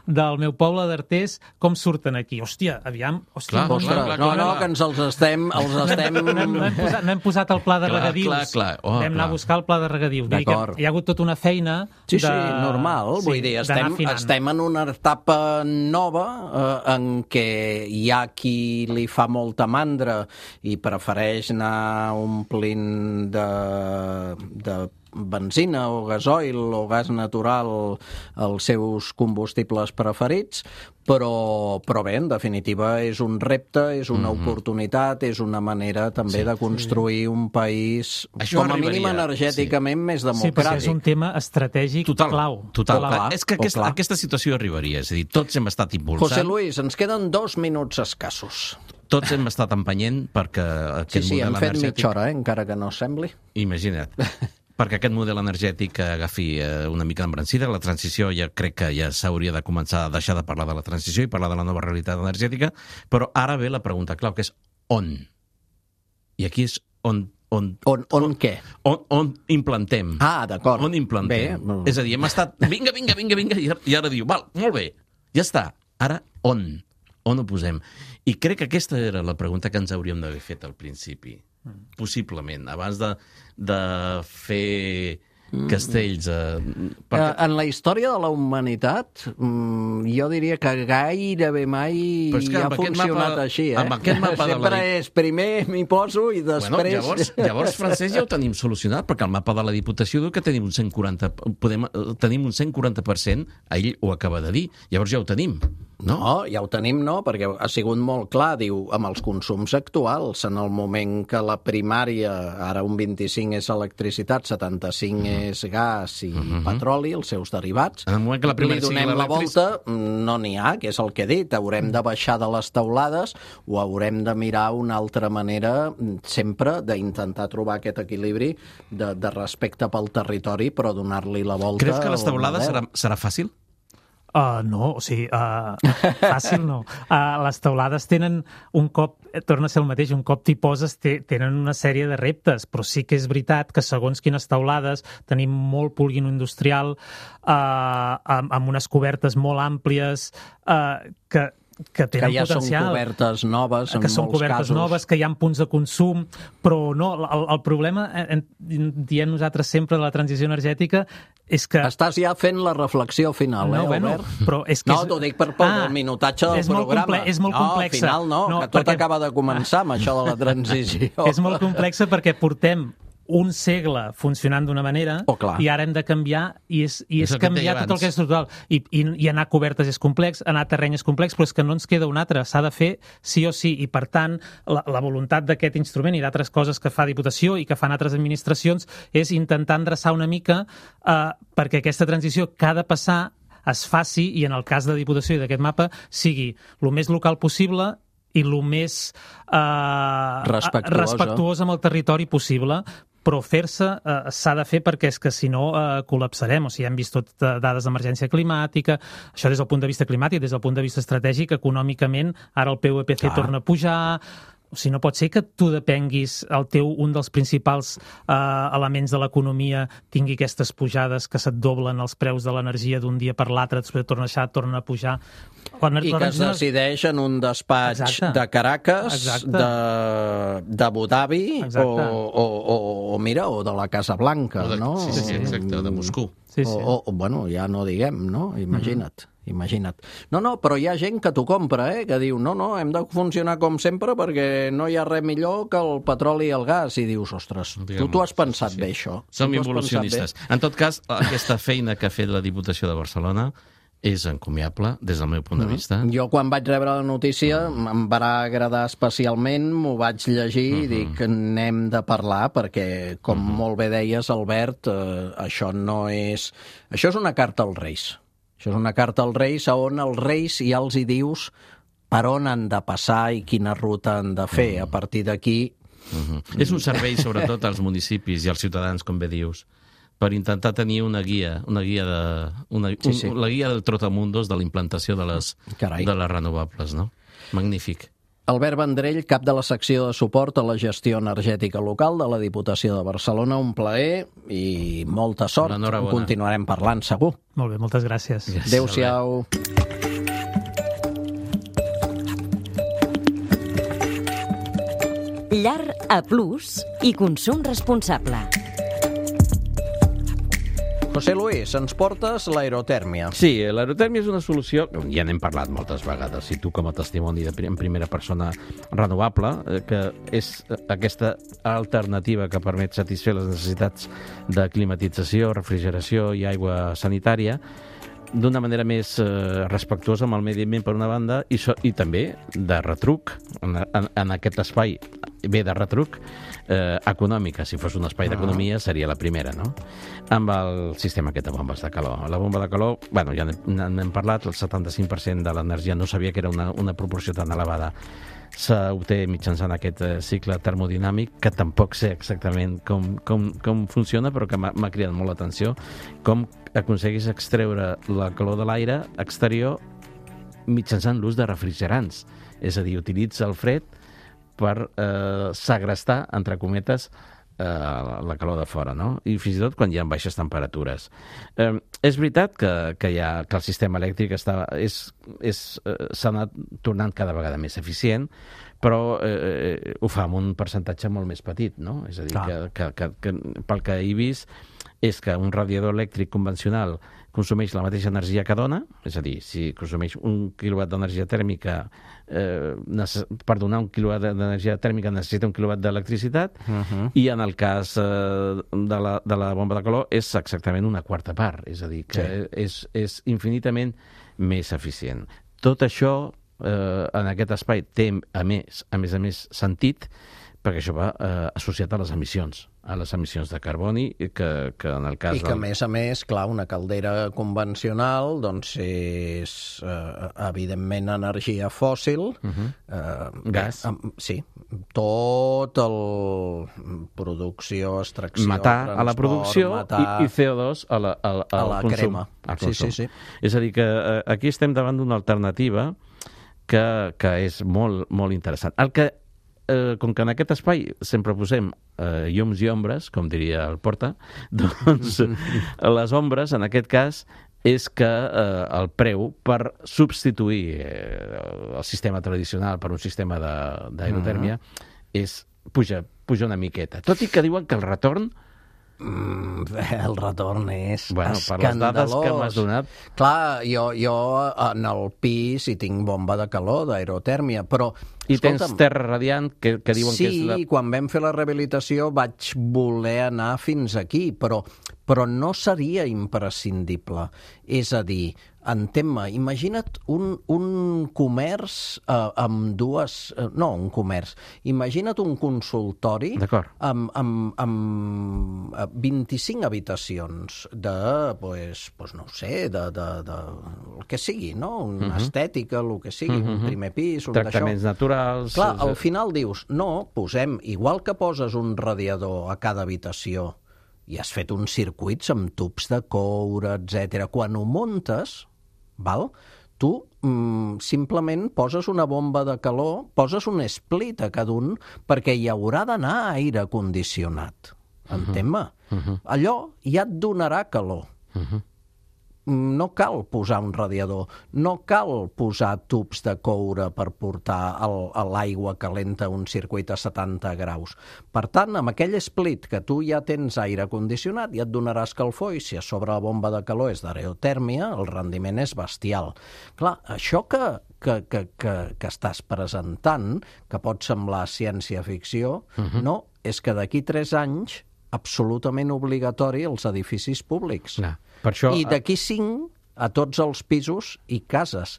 del meu poble d'Artés, com surten aquí? Hòstia, aviam, hòstia, Clar, no, Ostres, clar, no, clar, no, clar. que ens els estem... Els estem... no, hem, no, hem posat, no hem posat el pla de Clar, regadius. clar, clar. Oh, Vam anar clar. a buscar el pla de regadius. Vull dir D'acord. d'acord. Hi ha hagut tota una feina Sí, de... sí, normal. sí, Vull dir, estem, estem en una etapa nova eh, en què hi ha qui li fa molta mandra i prefereix anar omplint de, de benzina o gasoil o gas natural els seus combustibles preferits, però, però bé, en definitiva, és un repte, és una mm-hmm. oportunitat, és una manera també sí, de construir sí. un país, Això com a arribaria, mínim energèticament, sí. més democràtic. Sí, perquè és un tema estratègic total, clau. Total, clar, clar. És que aquest, aquesta situació arribaria, és a dir, tots hem estat impulsant... José Luis, ens queden dos minuts escassos. Tots hem estat empenyent perquè aquest sí, sí, model hem fet energètic... mitja hora, eh? encara que no sembli. Imagina't. perquè aquest model energètic agafi una mica d'embrancida. La transició ja crec que ja s'hauria de començar a deixar de parlar de la transició i parlar de la nova realitat energètica, però ara ve la pregunta clau, que és on? I aquí és on... On, on, on, on què? On, on implantem. Ah, d'acord. On implantem. Bé. És a dir, hem estat... Vinga, vinga, vinga, vinga, i ara diu, val, molt bé, ja està. Ara, on? On ho posem? I crec que aquesta era la pregunta que ens hauríem d'haver fet al principi. Possiblement, abans de, de fer castells... Eh, perquè... En la història de la humanitat, jo diria que gairebé mai que ha funcionat mapa, així. Eh? Amb aquest mapa Sempre de la... és primer m'hi poso i després... Bueno, llavors, llavors, Francesc, ja ho tenim solucionat, perquè el mapa de la Diputació diu que tenim un cent quaranta, podem, tenim un cent quaranta per cent, ell ho acaba de dir, llavors ja ho tenim. No? no, ja ho tenim, no, perquè ha sigut molt clar, diu, amb els consums actuals, en el moment que la primària, ara un vint-i-cinc és electricitat, setanta-cinc uh-huh. és gas i uh-huh. petroli, els seus derivats, en el moment que la primària li donem la volta, no n'hi ha, que és el que he dit, haurem de baixar de les teulades o haurem de mirar una altra manera, sempre d'intentar trobar aquest equilibri de, de respecte pel territori, però donar-li la volta. Creus que les teulades serà, serà fàcil? Uh, no, o sigui, uh, fàcil no. Uh, les teulades tenen un cop, torna a ser el mateix, un cop t'hi poses te, tenen una sèrie de reptes, però sí que és veritat que segons quines teulades tenim molt polígon industrial uh, amb, amb unes cobertes molt àmplies uh, que que tenen que ja potencial, són cobertes noves en que són molts cobertes casos. noves, que hi ha punts de consum, però no, el, el problema, en, diem nosaltres sempre de la transició energètica, és que... Estàs ja fent la reflexió final, no, eh, bueno, Albert? però és que no, és... t'ho dic per pel ah, minutatge del és molt programa. Comple és molt no, complexa. al final no, no que tot perquè... acaba de començar amb això de la transició. És molt complexa perquè portem un segle funcionant d'una manera oh, i ara hem de canviar i és, i és, és canviar tot el que és estructural. I, i, I anar a cobertes és complex, anar a terreny és complex, però és que no ens queda un altre. S'ha de fer sí o sí. I, per tant, la, la voluntat d'aquest instrument i d'altres coses que fa Diputació i que fan altres administracions és intentar endreçar una mica eh, perquè aquesta transició que ha de passar es faci, i en el cas de Diputació i d'aquest mapa, sigui el més local possible i el més eh, respectuosa. respectuós amb el territori possible, però fer-se eh, s'ha de fer perquè és que si no eh, col·lapsarem. O sigui, hem vist tot eh, dades d'emergència climàtica, això des del punt de vista climàtic, des del punt de vista estratègic, econòmicament, ara el P U I P C ah. torna a pujar. O sigui, no pot ser que tu depenguis, el teu, un dels principals eh, elements de l'economia tingui aquestes pujades que se't doblen els preus de l'energia d'un dia per l'altre, després torna a baixar, torna a pujar. I que es decideix en un despatx Exacte. de Caracas, Exacte. de d'Abu Dhabi o, o, o, o, mira, o de la Casa Blanca, de, no? Sí, sí, exacte, de Moscou. Sí, sí. O, o, bueno, ja no diguem, no? Imagina't. Mm-hmm. Imagina't. No, no, però hi ha gent que t'ho compra, eh? Que diu, no, no, hem de funcionar com sempre perquè no hi ha res millor que el petroli i el gas. I dius, ostres, Diguem, tu t'ho has pensat sí, sí. bé, això. Som involucionistes. En tot cas, aquesta feina que ha fet la Diputació de Barcelona és encomiable, des del meu punt de vista. Mm-hmm. Jo, quan vaig rebre la notícia, mm. em va agradar especialment, m'ho vaig llegir mm-hmm. i dic, n'hem de parlar, perquè, com mm-hmm. molt bé deies, Albert, eh, això no és... Això és una carta als Reis. Això és una carta als Reis on els Reis ja els hi dius per on han de passar i quina ruta han de fer. Mm. A partir d'aquí... Mm-hmm. És un servei, sobretot, als municipis i als ciutadans, com bé dius, per intentar tenir una guia, una guia de, una, sí, sí. Un, la guia del trotamundos de la implantació de les, de les renovables, no? Magnífic. Albert Vendrell, cap de la secció de suport a la gestió energètica local de la Diputació de Barcelona. Un plaer i molta sort. Continuarem parlant, segur. Molt bé, moltes gràcies. gràcies Adéu-siau. Llar A plus i consum responsable. José Luis, ens portes l'aerotèrmia. Sí, l'aerotèrmia és una solució, ja n'hem parlat moltes vegades, i tu com a testimoni de, en primera persona renovable, que és aquesta alternativa que permet satisfer les necessitats de climatització, refrigeració i aigua sanitària d'una manera més eh, respectuosa amb el medi ambient per una banda i, so, i també de retruc en, en, en aquest espai bé de retruc eh, econòmica. Si fos un espai d'economia seria la primera, no? Amb el sistema aquest de bombes de calor. La bomba de calor, bueno, ja n'hem parlat, el setanta-cinc per cent de l'energia, no sabia que era una, una proporció tan elevada, s'obté mitjançant aquest eh, cicle termodinàmic, que tampoc sé exactament com, com, com funciona, però que m'ha cridat molt l'atenció, com aconseguis extreure la calor de l'aire exterior mitjançant l'ús de refrigerants. És a dir, utilitza el fred per eh, segrestar, entre cometes, eh, la calor de fora, no? I fins i tot quan hi ha baixes temperatures. Eh, és veritat que, que, hi ha, que el sistema elèctric està, és, és, eh, s'ha anat tornant cada vegada més eficient, però eh, ho fa amb un percentatge molt més petit, no? És a dir, que, que, que, que pel que he vist és que un radiador elèctric convencional consumeix la mateixa energia que dona, és a dir, si consumeix un quilowatt d'energia tèrmica, eh, per donar un quilowatt d'energia tèrmica necessita un quilowatt d'electricitat, uh-huh. i en el cas eh, de, la, de la bomba de calor és exactament una quarta part, és a dir, que sí. és, és infinitament més eficient. Tot això eh, en aquest espai té, a més, a més a més, sentit, perquè això va eh, associat a les emissions, a les emissions de carboni, que, que en el cas... I que, del... a més a més, clar, una caldera convencional doncs és, eh, evidentment, energia fòssil. Uh-huh. eh, Gas. Eh, sí. Tot el... producció, extracció, matar transport, a la producció matar... i, i C O dos a la, a, a, a la consum, crema. al consum. Sí, sí, sí. És a dir, que eh, aquí estem davant d'una alternativa que, que és molt, molt interessant. El que Eh, com que en aquest espai sempre posem eh, llums i ombres, com diria el Porta, doncs les ombres, en aquest cas, és que eh, el preu per substituir eh, el sistema tradicional per un sistema d'aerotèrmia uh-huh. és puja, puja una miqueta. Tot i que diuen que el retorn Mm, el retorn és bueno, escandalós. Per les dades que m'has donat... Clar, jo, jo en el pis hi tinc bomba de calor, d'aerotèrmia, però... I tens terra radiant, que, que diuen sí, que és la... Sí, quan vam fer la rehabilitació vaig voler anar fins aquí, però, però no seria imprescindible. És a dir, entén-me, imagina't un, un comerç eh, amb dues... Eh, no, un comerç. Imagina't un consultori amb, amb, amb vint-i-cinc habitacions de, pues, pues no sé, de, de, de el que sigui, no? Una uh-huh. estètica, el que sigui, uh-huh. un primer pis, un d'això. Tractaments naturals... Clar, al final dius, no, posem, igual que poses un radiador a cada habitació i has fet uns circuits amb tubs de coure, etcètera. Quan ho muntes, val? Tu mm, simplement poses una bomba de calor, poses un split a cada un, perquè hi haurà d'anar aire condicionat. Entén-me? Uh-huh. Allò ja et donarà calor. Uh-huh. No cal posar un radiador, no cal posar tubs de coure per portar el, l'aigua calenta a un circuit a setanta graus. Per tant, amb aquell split que tu ja tens aire condicionat, ja et donarà escalfor, i si a sobre la bomba de calor és d'aerotèrmia, el rendiment és bestial. Clar, això que, que, que, que, que estàs presentant, que pot semblar ciència-ficció, uh-huh. no, és que d'aquí tres anys absolutament obligatori als edificis públics. No, per això... I d'aquí cinc a tots els pisos i cases.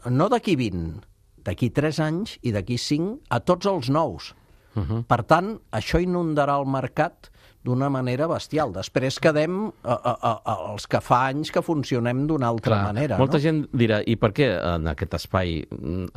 No d'aquí vint, d'aquí tres anys i d'aquí cinc a tots els nous. Uh-huh. Per tant, això inundarà el mercat d'una manera bestial. Després quedem a, a, a, els que fa anys que funcionem d'una altra Clar, manera. Molta no? gent dirà, i per què en aquest espai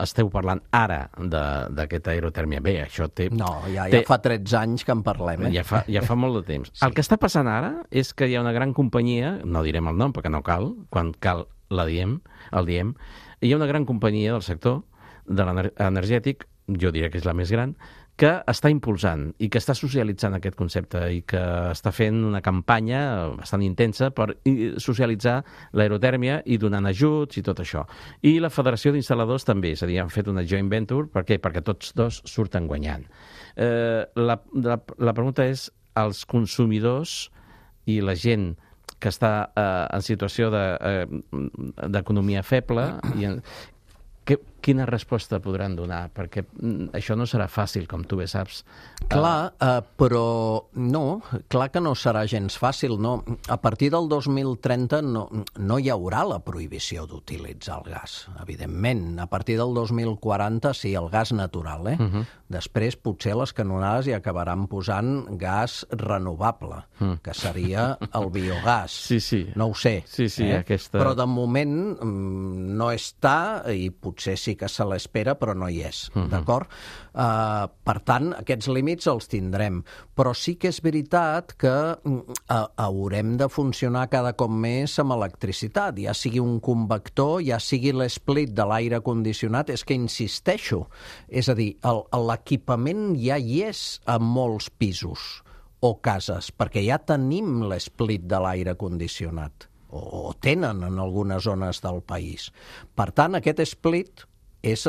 esteu parlant ara d'aquesta aerotèrmia? Bé, això té... No, ja, té... ja fa tretze anys que en parlem. Eh? Ja, fa, ja fa molt de temps. Sí. El que està passant ara és que hi ha una gran companyia, no direm el nom perquè no cal, quan cal la diem, el diem, hi ha una gran companyia del sector de l'energètic, jo diria que és la més gran, que està impulsant i que està socialitzant aquest concepte i que està fent una campanya bastant intensa per socialitzar l'aerotèrmia i donant ajuts i tot això. I la Federació d'Instal·ladors també, és a dir, han fet una joint venture, per què? Perquè tots dos surten guanyant. Eh, la, la, la pregunta és, els consumidors i la gent que està eh, en situació de, eh, d'economia feble, i en, que, quina resposta podran donar? Perquè això no serà fàcil, com tu bé saps. Clar, uh, però no, clar que no serà gens fàcil, no. A partir del dos mil trenta no, no hi haurà la prohibició d'utilitzar el gas, evidentment. A partir del dos mil quaranta sí, el gas natural, eh? Uh-huh. Després potser les canonades hi acabaran posant gas renovable, uh-huh. que seria el biogàs. Sí, sí. No ho sé. Sí, sí, eh? aquesta... Però de moment mm, no està, i potser sí que se l'espera, però no hi és, uh-huh. d'acord? Uh, per tant, aquests límits els tindrem. Però sí que és veritat que uh, haurem de funcionar cada cop més amb electricitat, ja sigui un convector, ja sigui l'esplit de l'aire condicionat, és que insisteixo. És a dir, el, l'equipament ja hi és a molts pisos o cases, perquè ja tenim l'esplit de l'aire condicionat, o, o tenen en algunes zones del país. Per tant, aquest split és,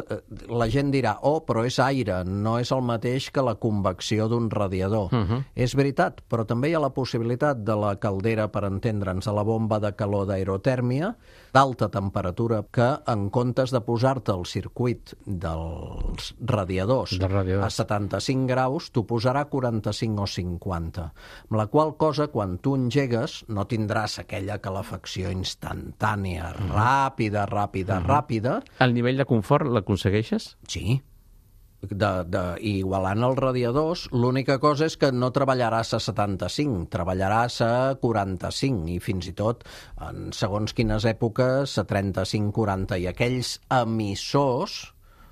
la gent dirà, oh, però és aire, no és el mateix que la convecció d'un radiador. Uh-huh. És veritat, però també hi ha la possibilitat de la caldera, per entendre'ns, de la bomba de calor d'aerotèrmia, d'alta temperatura, que en comptes de posar-te el circuit dels radiadors de radiadors. a setanta-cinc graus, t'ho posarà a quaranta-cinc o cinquanta. Amb la qual cosa, quan tu engegues, no tindràs aquella calefacció instantània, uh-huh. ràpida, ràpida, uh-huh. ràpida. El nivell de confort l'aconsegueixes? Sí. De, de, igualant els radiadors, l'única cosa és que no treballaràs a setanta-cinc, treballaràs a quaranta-cinc i fins i tot en segons quines èpoques a trenta-cinc quaranta, i aquells emissors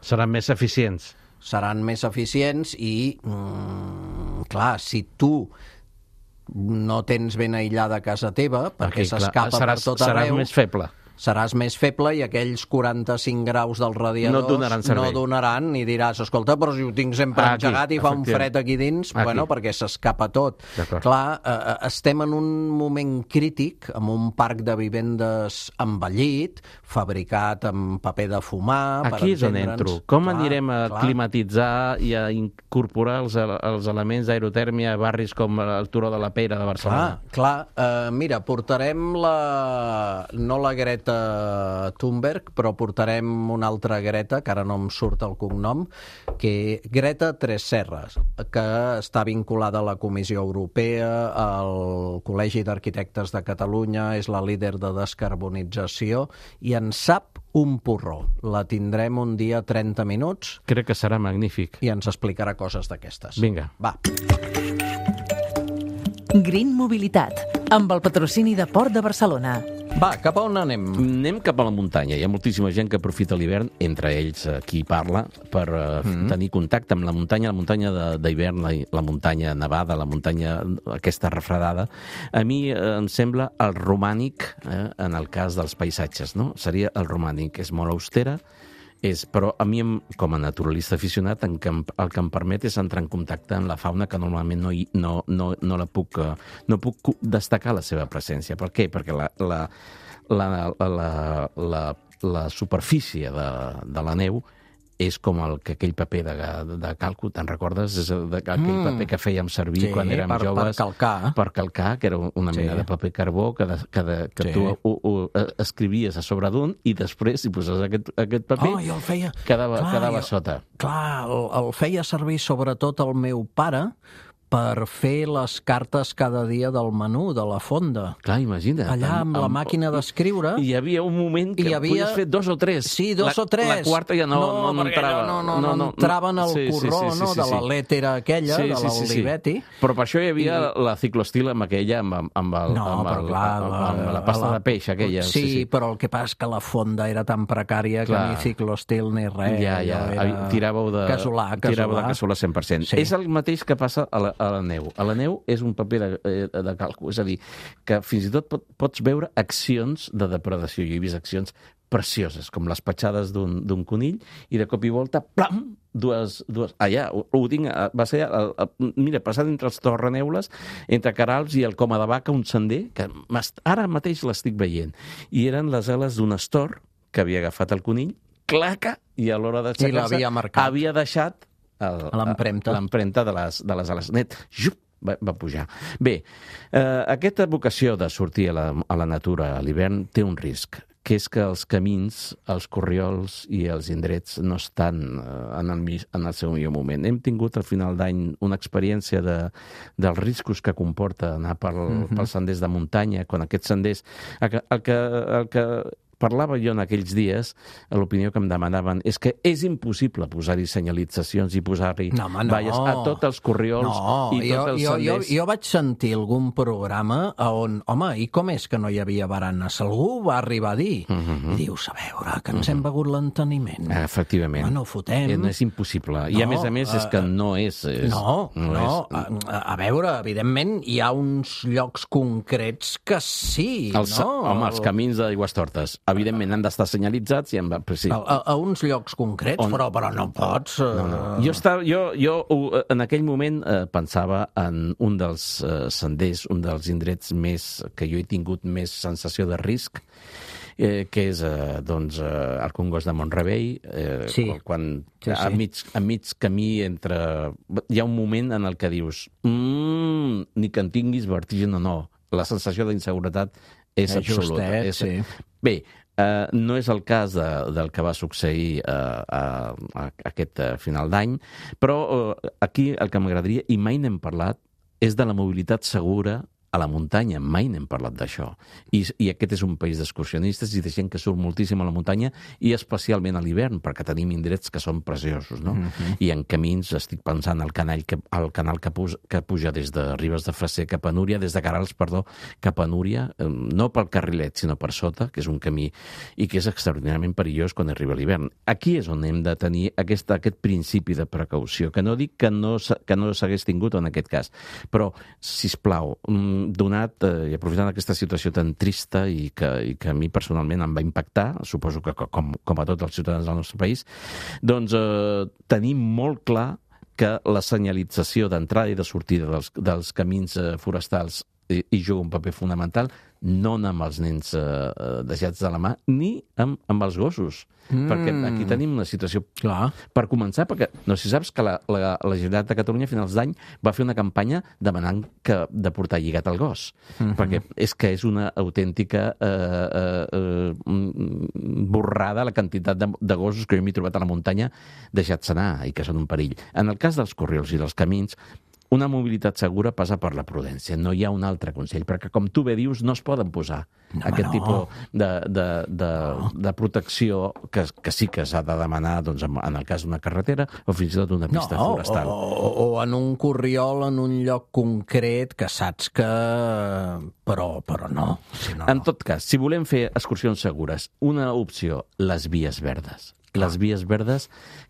seran més eficients. Seran més eficients i, mm, clar, si tu no tens ben aïllada casa teva, perquè okay, s'escapa per tot arreu... Seràs més feble. Seràs més feble i aquells quaranta-cinc graus dels radiadors no donaran servei. No donaran i diràs, escolta, però si ho tinc sempre aquí, engegat i fa un fred aquí dins, aquí. Bueno, perquè s'escapa tot. Clar, eh, estem en un moment crític, amb un parc de vivendes envellit, fabricat amb paper de fumar... Aquí és on entro. Com clar, anirem a clar. climatitzar i a incorporar els, els elements d'aerotèrmia a barris com el Turó de la Peira de Barcelona? Clar, clar. Eh, mira, portarem la... no la Greta Thunberg, però portarem una altra Greta, que ara no em surt el cognom, que Greta Tresserras, que està vinculada a la Comissió Europea, al Col·legi d'Arquitectes de Catalunya, és la líder de descarbonització, i en sap un porró. La tindrem un dia trenta minuts. Crec que serà magnífic. I ens explicarà coses d'aquestes. Vinga. Va. Green Mobilitat, amb el patrocini de Port de Barcelona. Va, cap a on anem? Anem cap a la muntanya. Hi ha moltíssima gent que aprofita l'hivern, entre ells qui parla, per uh, mm-hmm. tenir contacte amb la muntanya, la muntanya d'hivern, la, la muntanya nevada, la muntanya aquesta refredada. A mi eh, em sembla el romànic, eh, en el cas dels paisatges, no? Seria el romànic. És molt austera, és, però a mi, com a naturalista aficionat, en que, el que em permet és entrar en contacte amb la fauna que normalment no, no, no, no la puc, no puc destacar la seva presència. Per què? Perquè la, la, la, la, la, la superfície de, de la neu és com el, que aquell paper de, de calco, te'n recordes? És el, de, aquell mm. paper que fèiem servir sí, quan érem per, joves. Per calcar. Per calcar, que era una sí. mena de paper carbó que, de, que, de, que sí. tu ho, ho escrivies a sobre d'un i després, si poses aquest, aquest paper, oh, el feia... quedava, clar, quedava jo... sota. Clar, el, el feia servir sobretot el meu pare per fer les cartes cada dia del menú, de la fonda. Clar, imagina't. Allà amb, amb la màquina d'escriure... Hi havia un moment que havia... podies fer dos o tres. Sí, dos la, o tres. La quarta ja no, no, no entrava. No, no, no, no entraven al sí, corró, sí, sí, sí, no? Sí, sí. De la lètera aquella, sí, sí, de l'Olivetti. Sí, sí. Però per això hi havia I... la ciclostil amb aquella, amb, amb, el, no, amb, el, clar, amb, amb, amb la pasta la... de peix aquella. Sí, sí, sí, però el que passa és que la fonda era tan precària clar. Que ni ciclostil ni res. Ja, ja, era... tiràveu de... Casolà, casolà. Tiràveu de casolà cent per cent. Sí. És el mateix que passa a la, a la neu. A la neu és un paper de, de calco, és a dir, que fins i tot pot, pots veure accions de depredació. Jo he vist accions precioses, com les petjades d'un conill, i de cop i volta, plam, dues... dues allà, ho, ho tinc, va ser, el, el, mira, passant entre els torreneules, entre Carals i el Coma de Vaca, un sender, que ara mateix l'estic veient, i eren les ales d'un astor que havia agafat el conill, claca, i a l'hora d'aixecar-se havia havia deixat l'empremta de les, de les ales. Net, jup, va, va pujar. Bé, eh, aquesta vocació de sortir a la, a la natura a l'hivern té un risc, que és que els camins, els corriols i els indrets no estan en el, en el seu millor moment. Hem tingut al final d'any una experiència de, dels riscos que comporta anar pel, mm-hmm. pels senders de muntanya, quan aquests senders... El que, el que, el que parlava jo en aquells dies, l'opinió que em demanaven és que és impossible posar-hi senyalitzacions i posar-hi no, home, no. valles a tots els corriols no, i tots jo, els jo, senders. Jo, jo vaig sentir algun programa on, home, i com és que no hi havia baranes? Algú va arribar a dir. Mm-hmm. I dius, a veure, que ens mm-hmm. hem begut l'enteniment. Efectivament. Bueno, fotem. No és impossible. No, I a més a més és que no és... és no, no. no. És... A, a veure, evidentment, hi ha uns llocs concrets que sí, els, no? Home, els camins d'Aigüestortes, evidentment, han d'estar senyalitzats i en... Sí. A, a, a uns llocs concrets, on... però, però no pots... Uh... No, no. Jo, estava, jo, jo en aquell moment eh, pensava en un dels eh, senders, un dels indrets més que jo he tingut més sensació de risc, eh, que és eh, doncs, eh, el Congost de Mont-rebei, eh, sí. quan sí, sí. A, mig, a mig camí entre... Hi ha un moment en el que dius mmm, ni que en tinguis vertigen o no. La sensació d'inseguretat és absoluta. Justet, és... sí. Bé, Uh, no és el cas de, del que va succeir uh, a, a aquest uh, final d'any, però uh, aquí el que m'agradaria, i mai n'hem parlat, és de la mobilitat segura a la muntanya. Mai n'hem parlat d'això. I, I aquest és un país d'excursionistes i de gent que surt moltíssim a la muntanya, i especialment a l'hivern, perquè tenim indrets que són preciosos, no? Mm-hmm. I en camins, estic pensant al canal que, al canal que, puja, que puja des de Ribes de Freser cap a Núria, des de Carals, perdó, cap a Núria, eh, no pel carrilet, sinó per sota, que és un camí i que és extraordinàriament perillós quan arriba l'hivern. Aquí és on hem de tenir aquest, aquest principi de precaució, que no dic que no, que no s'hagués tingut en aquest cas, però, sisplau, donat, eh, i aprofitant aquesta situació tan trista i que, i que a mi personalment em va impactar, suposo que com, com a tots els ciutadans del nostre país, doncs eh, tenim molt clar que la senyalització d'entrada i de sortida dels, dels camins eh, forestals i, i juga un paper fonamental, no amb els nens eh, deixats de la mà, ni amb, amb els gossos. Mm. Perquè aquí tenim una situació... Clar. Per començar, perquè no sé si saps que la, la, la Generalitat de Catalunya a finals d'any va fer una campanya demanant que, de portar lligat el gos. Mm-hmm. Perquè és que és una autèntica eh, eh, borrada la quantitat de, de gossos que jo m'he trobat a la muntanya deixats anar i que són un perill. En el cas dels corriols i dels camins, una mobilitat segura passa per la prudència. No hi ha un altre consell, perquè, com tu bé dius, no es poden posar no, aquest no. tipus de, de, de, no. de protecció que, que sí que s'ha de demanar doncs, en el cas d'una carretera o fins i tot d'una pista no, forestal. O, o en un corriol, en un lloc concret que saps que... Però, però no. Si no, en tot cas, si volem fer excursions segures, una opció, les vies verdes. Les vies verdes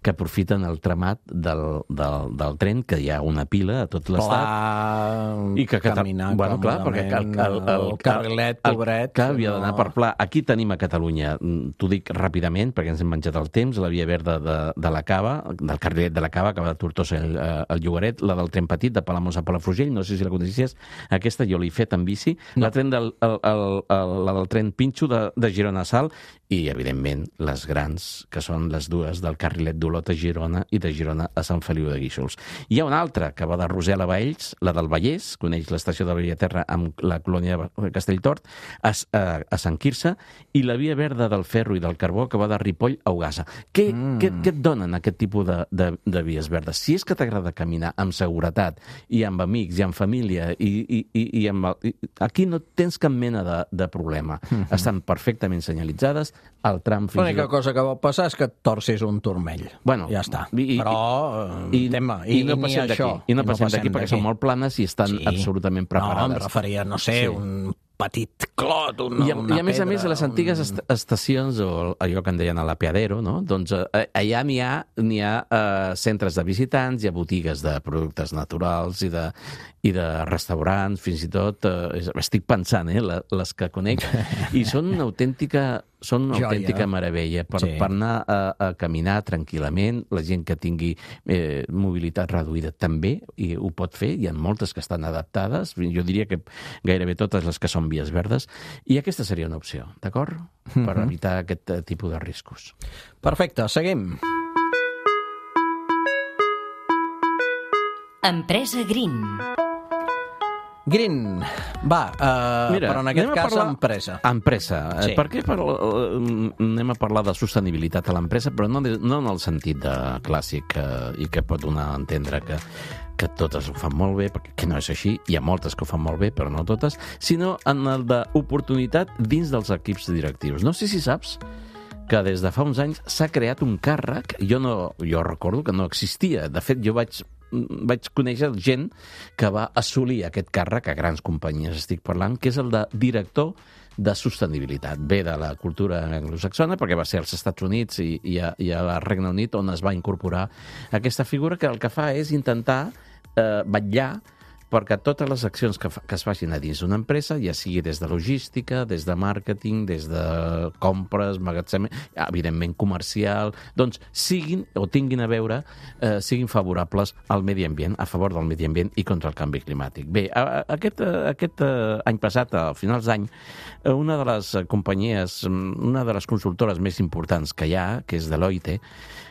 que aprofiten el tramat del, del, del tren, que hi ha una pila a tot l'estat. I que caminar bueno, clar, perquè el, el, el, el carrilet, pobret... Que havia d'anar no. per pla. Aquí tenim a Catalunya, t'ho dic ràpidament, perquè ens hem menjat el temps, la via verda de, de la Cava, del carrilet de la Cava, que va de Tortosa al, al Llogaret, la del tren petit, de Palamós a Palafrugell, no sé si la coneixies, aquesta jo l'he fet en bici, no. la, tren del, el, el, el, la del tren Pinxo de, de Girona a Salt, i, evidentment, les grans, que són les dues del carrilet d'Olot a Girona i de Girona a Sant Feliu de Guíxols. Hi ha una altra que va de Rosell a Baells, la del Vallès, coneix l'estació de Bellaterra amb la colònia de Castelltort, a, a, a Sant Quirze, i la via verda del ferro i del carbó que va de Ripoll a Ogassa. Què, mm. què, què et donen aquest tipus de, de, de vies verdes? Si és que t'agrada caminar amb seguretat i amb amics i amb família, i, i, i, i amb, i, aquí no tens cap mena de, de problema. Mm-hmm. Estan perfectament senyalitzades, el tram fins L'única tot... cosa que pot passar és que et torcis un turmell. Bueno, ja està. I, Però, i, tema, i, i, i no i passem d'aquí. I no passem d'aquí perquè són molt planes i estan sí. absolutament preparades. No, em referia, no sé, sí. un petit clot, una, I, a, una I a més pedra, a més, a les antigues un... estacions, o allò que en deien a l'apeadero, no? Doncs eh, allà n'hi ha, n'hi ha eh, centres de visitants, hi ha botigues de productes naturals i de, i de restaurants, fins i tot, eh, estic pensant, eh, les que conec, i són una autèntica... Són una Joia. autèntica meravella per, sí. per anar a, a caminar tranquil·lament. La gent que tingui eh, mobilitat reduïda també i ho pot fer. Hi ha moltes que estan adaptades. Jo diria que gairebé totes les que són vies verdes. I aquesta seria una opció, d'acord? Mm-hmm. Per evitar aquest uh, tipus de riscos. Perfecte, seguim. Empresa Green. Green, va, uh, Mira, però en aquest anem a cas parlar- empresa. Empresa. Sí. Sí. Per què parla, anem a parlar de sostenibilitat a l'empresa, però no, de- no en el sentit de clàssic eh, i que pot donar a entendre que, que totes ho fan molt bé, perquè que no és així, hi ha moltes que ho fan molt bé, però no totes, sinó en el d'oportunitat dins dels equips directius. No sé si saps que des de fa uns anys s'ha creat un càrrec, jo, no, jo recordo que no existia, de fet jo vaig vaig conèixer gent que va assolir aquest càrrec a grans companyies, estic parlant, que és el de director de sostenibilitat. Ve de la cultura anglosaxona, perquè va ser als Estats Units i, i, a, i a Regne Unit on es va incorporar aquesta figura que el que fa és intentar eh, vetllar perquè totes les accions que, fa, que es facin a dins d'una empresa, ja sigui des de logística, des de màrqueting, des de compres, magatzem, evidentment comercial, doncs siguin o tinguin a veure, eh, siguin favorables al medi ambient, a favor del medi ambient i contra el canvi climàtic. Bé, a, a, aquest, a, aquest eh, any passat, a finals d'any, eh, una de les companyies, una de les consultores més importants que hi ha, que és Deloitte,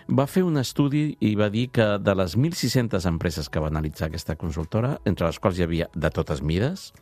va fer un estudi i va dir que de les mil sis-centes empreses que va analitzar aquesta consultora, entre les quals hi havia de totes mides,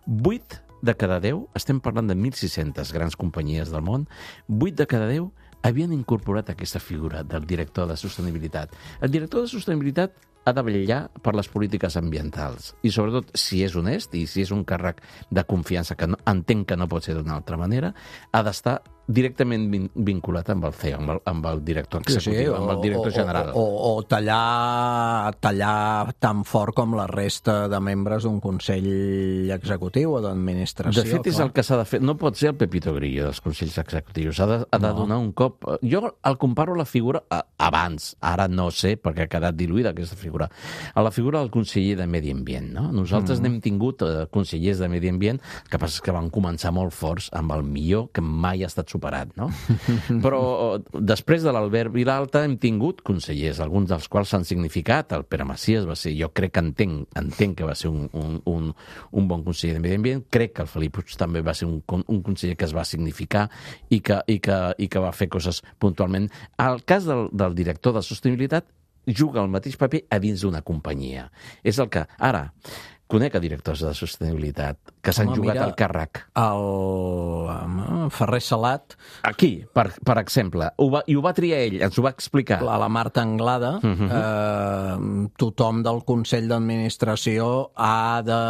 vuit de cada deu, estem parlant de mil sis-centes grans companyies del món, vuit de cada deu havien incorporat aquesta figura del director de sostenibilitat. El director de sostenibilitat ha de vetllar per les polítiques ambientals i, sobretot, si és honest i si és un càrrec de confiança, que no, entenc que no pot ser d'una altra manera, ha d'estar directament vin vinculat amb el C E O, amb el, amb el director executiu, sí, sí, o, amb el director general. O, o, o tallar, tallar tan fort com la resta de membres d'un consell executiu o d'administració. De fet, és el que s'ha de fer. No pot ser el Pepito Grillo dels consells executius. Ha de, ha de no. donar un cop... Jo el comparo a la figura a, abans, ara no sé, perquè ha quedat diluïda aquesta figura, a la figura del conseller de Medi Ambient. No? Nosaltres mm. n'hem tingut eh, consellers de Medi Ambient, el que passa és que van començar molt forts amb el millor que mai ha estat superat, no? Però després de l'Albert Vilalta hem tingut consellers, alguns dels quals s'han significat. El Pere Macias va ser, jo crec que entenc, entenc que va ser un, un, un, un bon conseller de Medi Ambient, crec que el Felip Puig també va ser un, un conseller que es va significar i que, i que, i que va fer coses puntualment. El cas del, del director de sostenibilitat juga el mateix paper a dins d'una companyia. És el que, ara, conec a directors de sostenibilitat que s'han jugat al càrrec. El Ferrer Salat... Aquí, per, per exemple. Ho va, I ho va triar ell, ens ho va explicar. La, la Marta Anglada, uh -huh. eh, tothom del Consell d'Administració ha de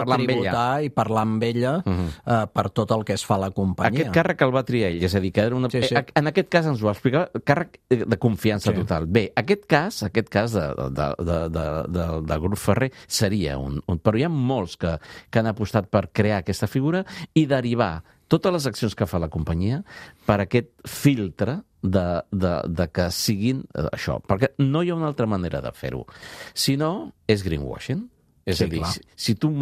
parlar tributar i parlar amb ella uh -huh. eh, per tot el que es fa a la companyia. Aquest càrrec el va triar ell, és a dir, que era una... Sí, sí. En aquest cas ens ho va explicar, càrrec de confiança sí. total. Bé, aquest cas, aquest cas de, de, de, de, de, del grup Ferrer seria un, un... Però hi ha molts que, que han apostat per crear aquesta figura i derivar totes les accions que fa la companyia per aquest filtre de, de, de que siguin això. Perquè no hi ha una altra manera de fer-ho. Si no, és greenwashing. És sí, a dir, clar. si, si tu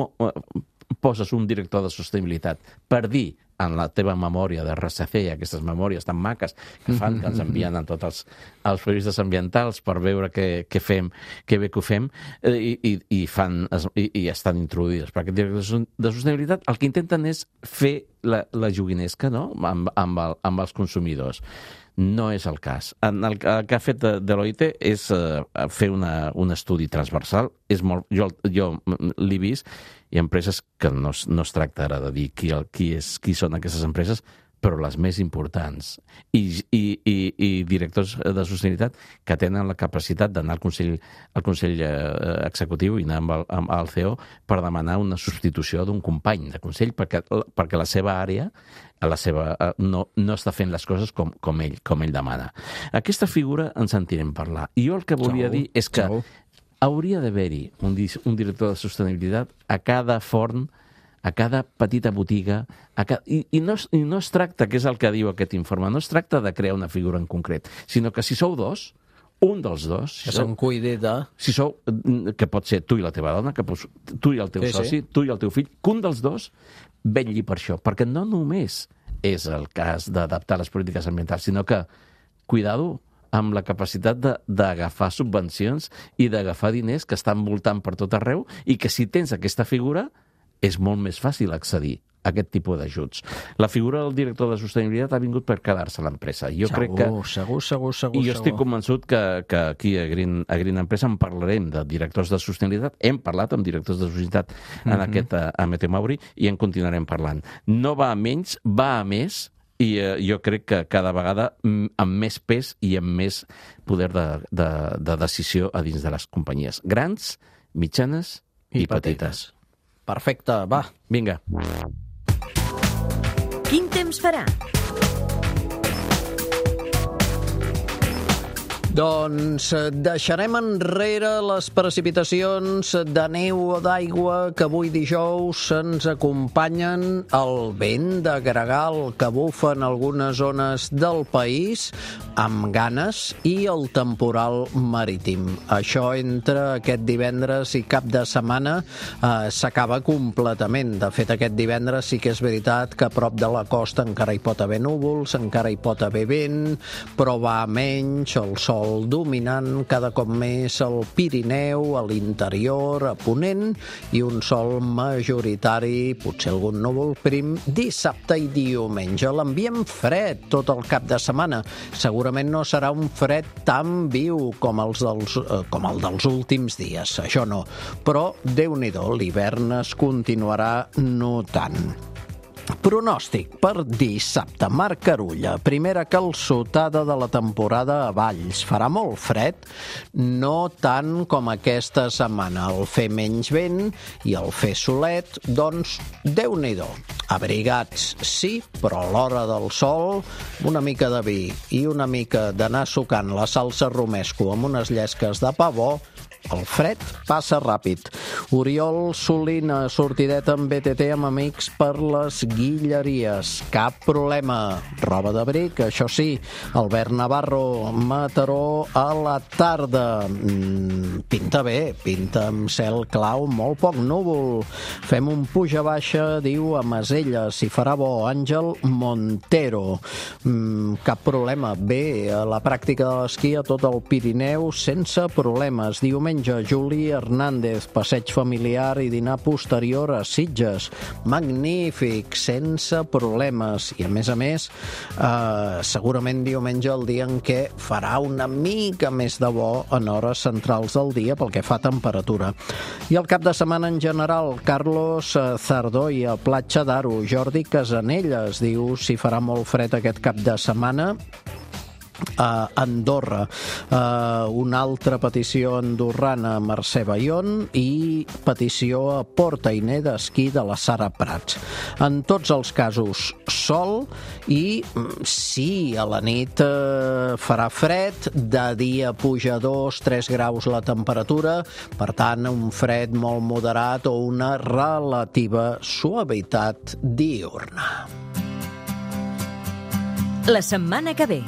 poses un director de sostenibilitat per dir en la teva memòria de R S C, aquestes memòries tan maques que fan, que ens envien a tots els, els periodistes ambientals per veure què, què fem, què bé que ho fem, eh, i, i, fan, i, i estan introduïdes per aquest director de sostenibilitat, el que intenten és fer la, la joguinesca, no?, amb, amb, el, amb els consumidors. No és el cas. En el, el que ha fet Deloitte és uh, fer una, un estudi transversal. És molt, jo jo l'he vist, hi ha empreses que no, no es tracta ara de dir qui, el, qui, és, qui són aquestes empreses, però les més importants. I, i, i, i directors de sostenibilitat que tenen la capacitat d'anar al Consell, al Consell eh, Executiu i anar amb el, amb el C E O per demanar una substitució d'un company de Consell perquè, perquè la seva àrea la seva, no, no està fent les coses com, com, ell, com ell demana. Aquesta figura en sentirem parlar. I jo el que volia Segur, dir és que segur. hauria d'haver-hi un, un director de sostenibilitat a cada forn, a cada petita botiga, a cada... I, i, no, i no es tracta, que és el que diu aquest informe, no es tracta de crear una figura en concret, sinó que si sou dos, un dels dos... Si que se'n cuidi de... Si sou, que pot ser tu i la teva dona, que pots, tu i el teu sí, soci, sí. tu i el teu fill, que un dels dos vetlli per això, perquè no només és el cas d'adaptar les polítiques ambientals, sinó que, cuidado, amb la capacitat d'agafar subvencions i d'agafar diners que estan voltant per tot arreu i que si tens aquesta figura és molt més fàcil accedir aquest tipus d'ajuts. La figura del director de sostenibilitat ha vingut per quedar-se a l'empresa. Jo segur, crec que... segur, segur, segur. I jo estic segur. convençut que, que aquí a Green, a Green Empresa en parlarem de directors de sostenibilitat. Hem parlat amb directors de sostenibilitat en mm-hmm. aquest a, a Meteo Mauri i en continuarem parlant. No va a menys, va a més, i eh, jo crec que cada vegada amb més pes i amb més poder de, de, de decisió a dins de les companyies. Grans, mitjanes i, I petites. petites. Perfecte, va. Vinga. Quin temps farà? Doncs deixarem enrere les precipitacions de neu o d'aigua que avui dijous ens acompanyen, el vent de gregal que bufa en algunes zones del país amb ganes i el temporal marítim. Això entre aquest divendres i cap de setmana eh, s'acaba completament. De fet, aquest divendres sí que és veritat que a prop de la costa encara hi pot haver núvols, encara hi pot haver vent, però va menys, el sol dominant cada cop més al Pirineu, a l'interior, a Ponent, i un sol majoritari, potser algun núvol prim, dissabte i diumenge. L'ambient fred tot el cap de setmana. Segurament no serà un fred tan viu com, els dels, eh, com el dels últims dies, això no. Però, Déu-n'hi-do, l'hivern es continuarà notant. Pronòstic per dissabte. Marc Carulla, primera calçotada de la temporada a Valls. Farà molt fred, no tant com aquesta setmana. El fer menys vent i el fer solet, doncs, Déu-n'hi-do. Abrigats, sí, però a l'hora del sol, una mica de vi i una mica d'anar sucant la salsa romesco amb unes llesques de pa bo, el fred passa ràpid. Oriol Solina, sortideta amb B T T amb amics per les Guilleries. Cap problema. Roba d'abric, això sí. Albert Navarro, Mataró a la tarda. Mm, pinta bé, pinta amb cel clau, molt poc núvol. Fem un puja-baixa, diu a Maselles, si farà bo. Àngel Montero. Mm, cap problema. Bé, a la pràctica de l'esquí a tot el Pirineu sense problemes. Diumenge, Juli Hernández, passeig familiar i dinar posterior a Sitges. Magnífic, sense problemes. I a més a més, eh, segurament diumenge el dia en què farà una mica més de bo en hores centrals del dia pel que fa a temperatura. I el cap de setmana en general, Carlos Zardoi a Platja d'Aro. Jordi Casanelles diu si farà molt fred aquest cap de setmana a Andorra. Uh, una altra petició andorrana, Mercè Bayon, i petició a Port Ainé d'esquí de la Sara Prats. En tots els casos, sol i sí, a la nit uh, farà fred, de dia puja dos tres graus la temperatura, per tant, un fred molt moderat o una relativa suavitat diurna. La setmana que ve.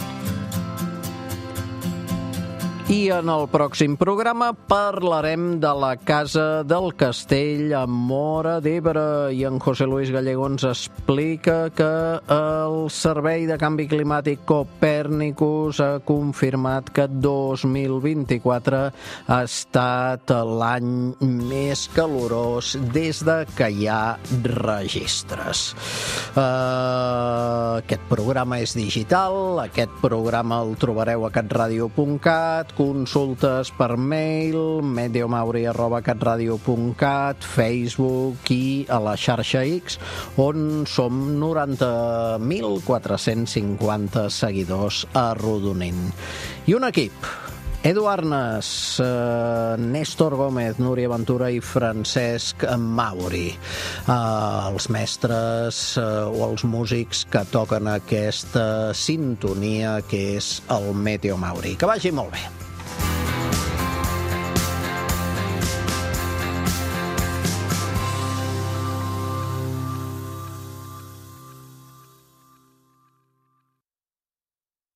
I en el pròxim programa parlarem de la Casa del Castell a Móra d'Ebre i en José Luis Gallego ens explica que el Servei de Canvi Climàtic Copèrnicus ha confirmat que dos mil vint-i-quatre ha estat l'any més calorós des de que hi ha registres. Uh, aquest programa és digital, aquest programa el trobareu a catradio punt cat, consultes per mail, meteomauri arroba catradio punt cat, Facebook i a la xarxa X, on som noranta mil quatre-cents cinquanta seguidors arrodonint. I un equip: Edu Arnes, eh, Néstor Gómez, Núria Ventura i Francesc Mauri. Eh, els mestres eh, o els músics que toquen aquesta sintonia que és el Meteo Mauri. Que vagi molt bé.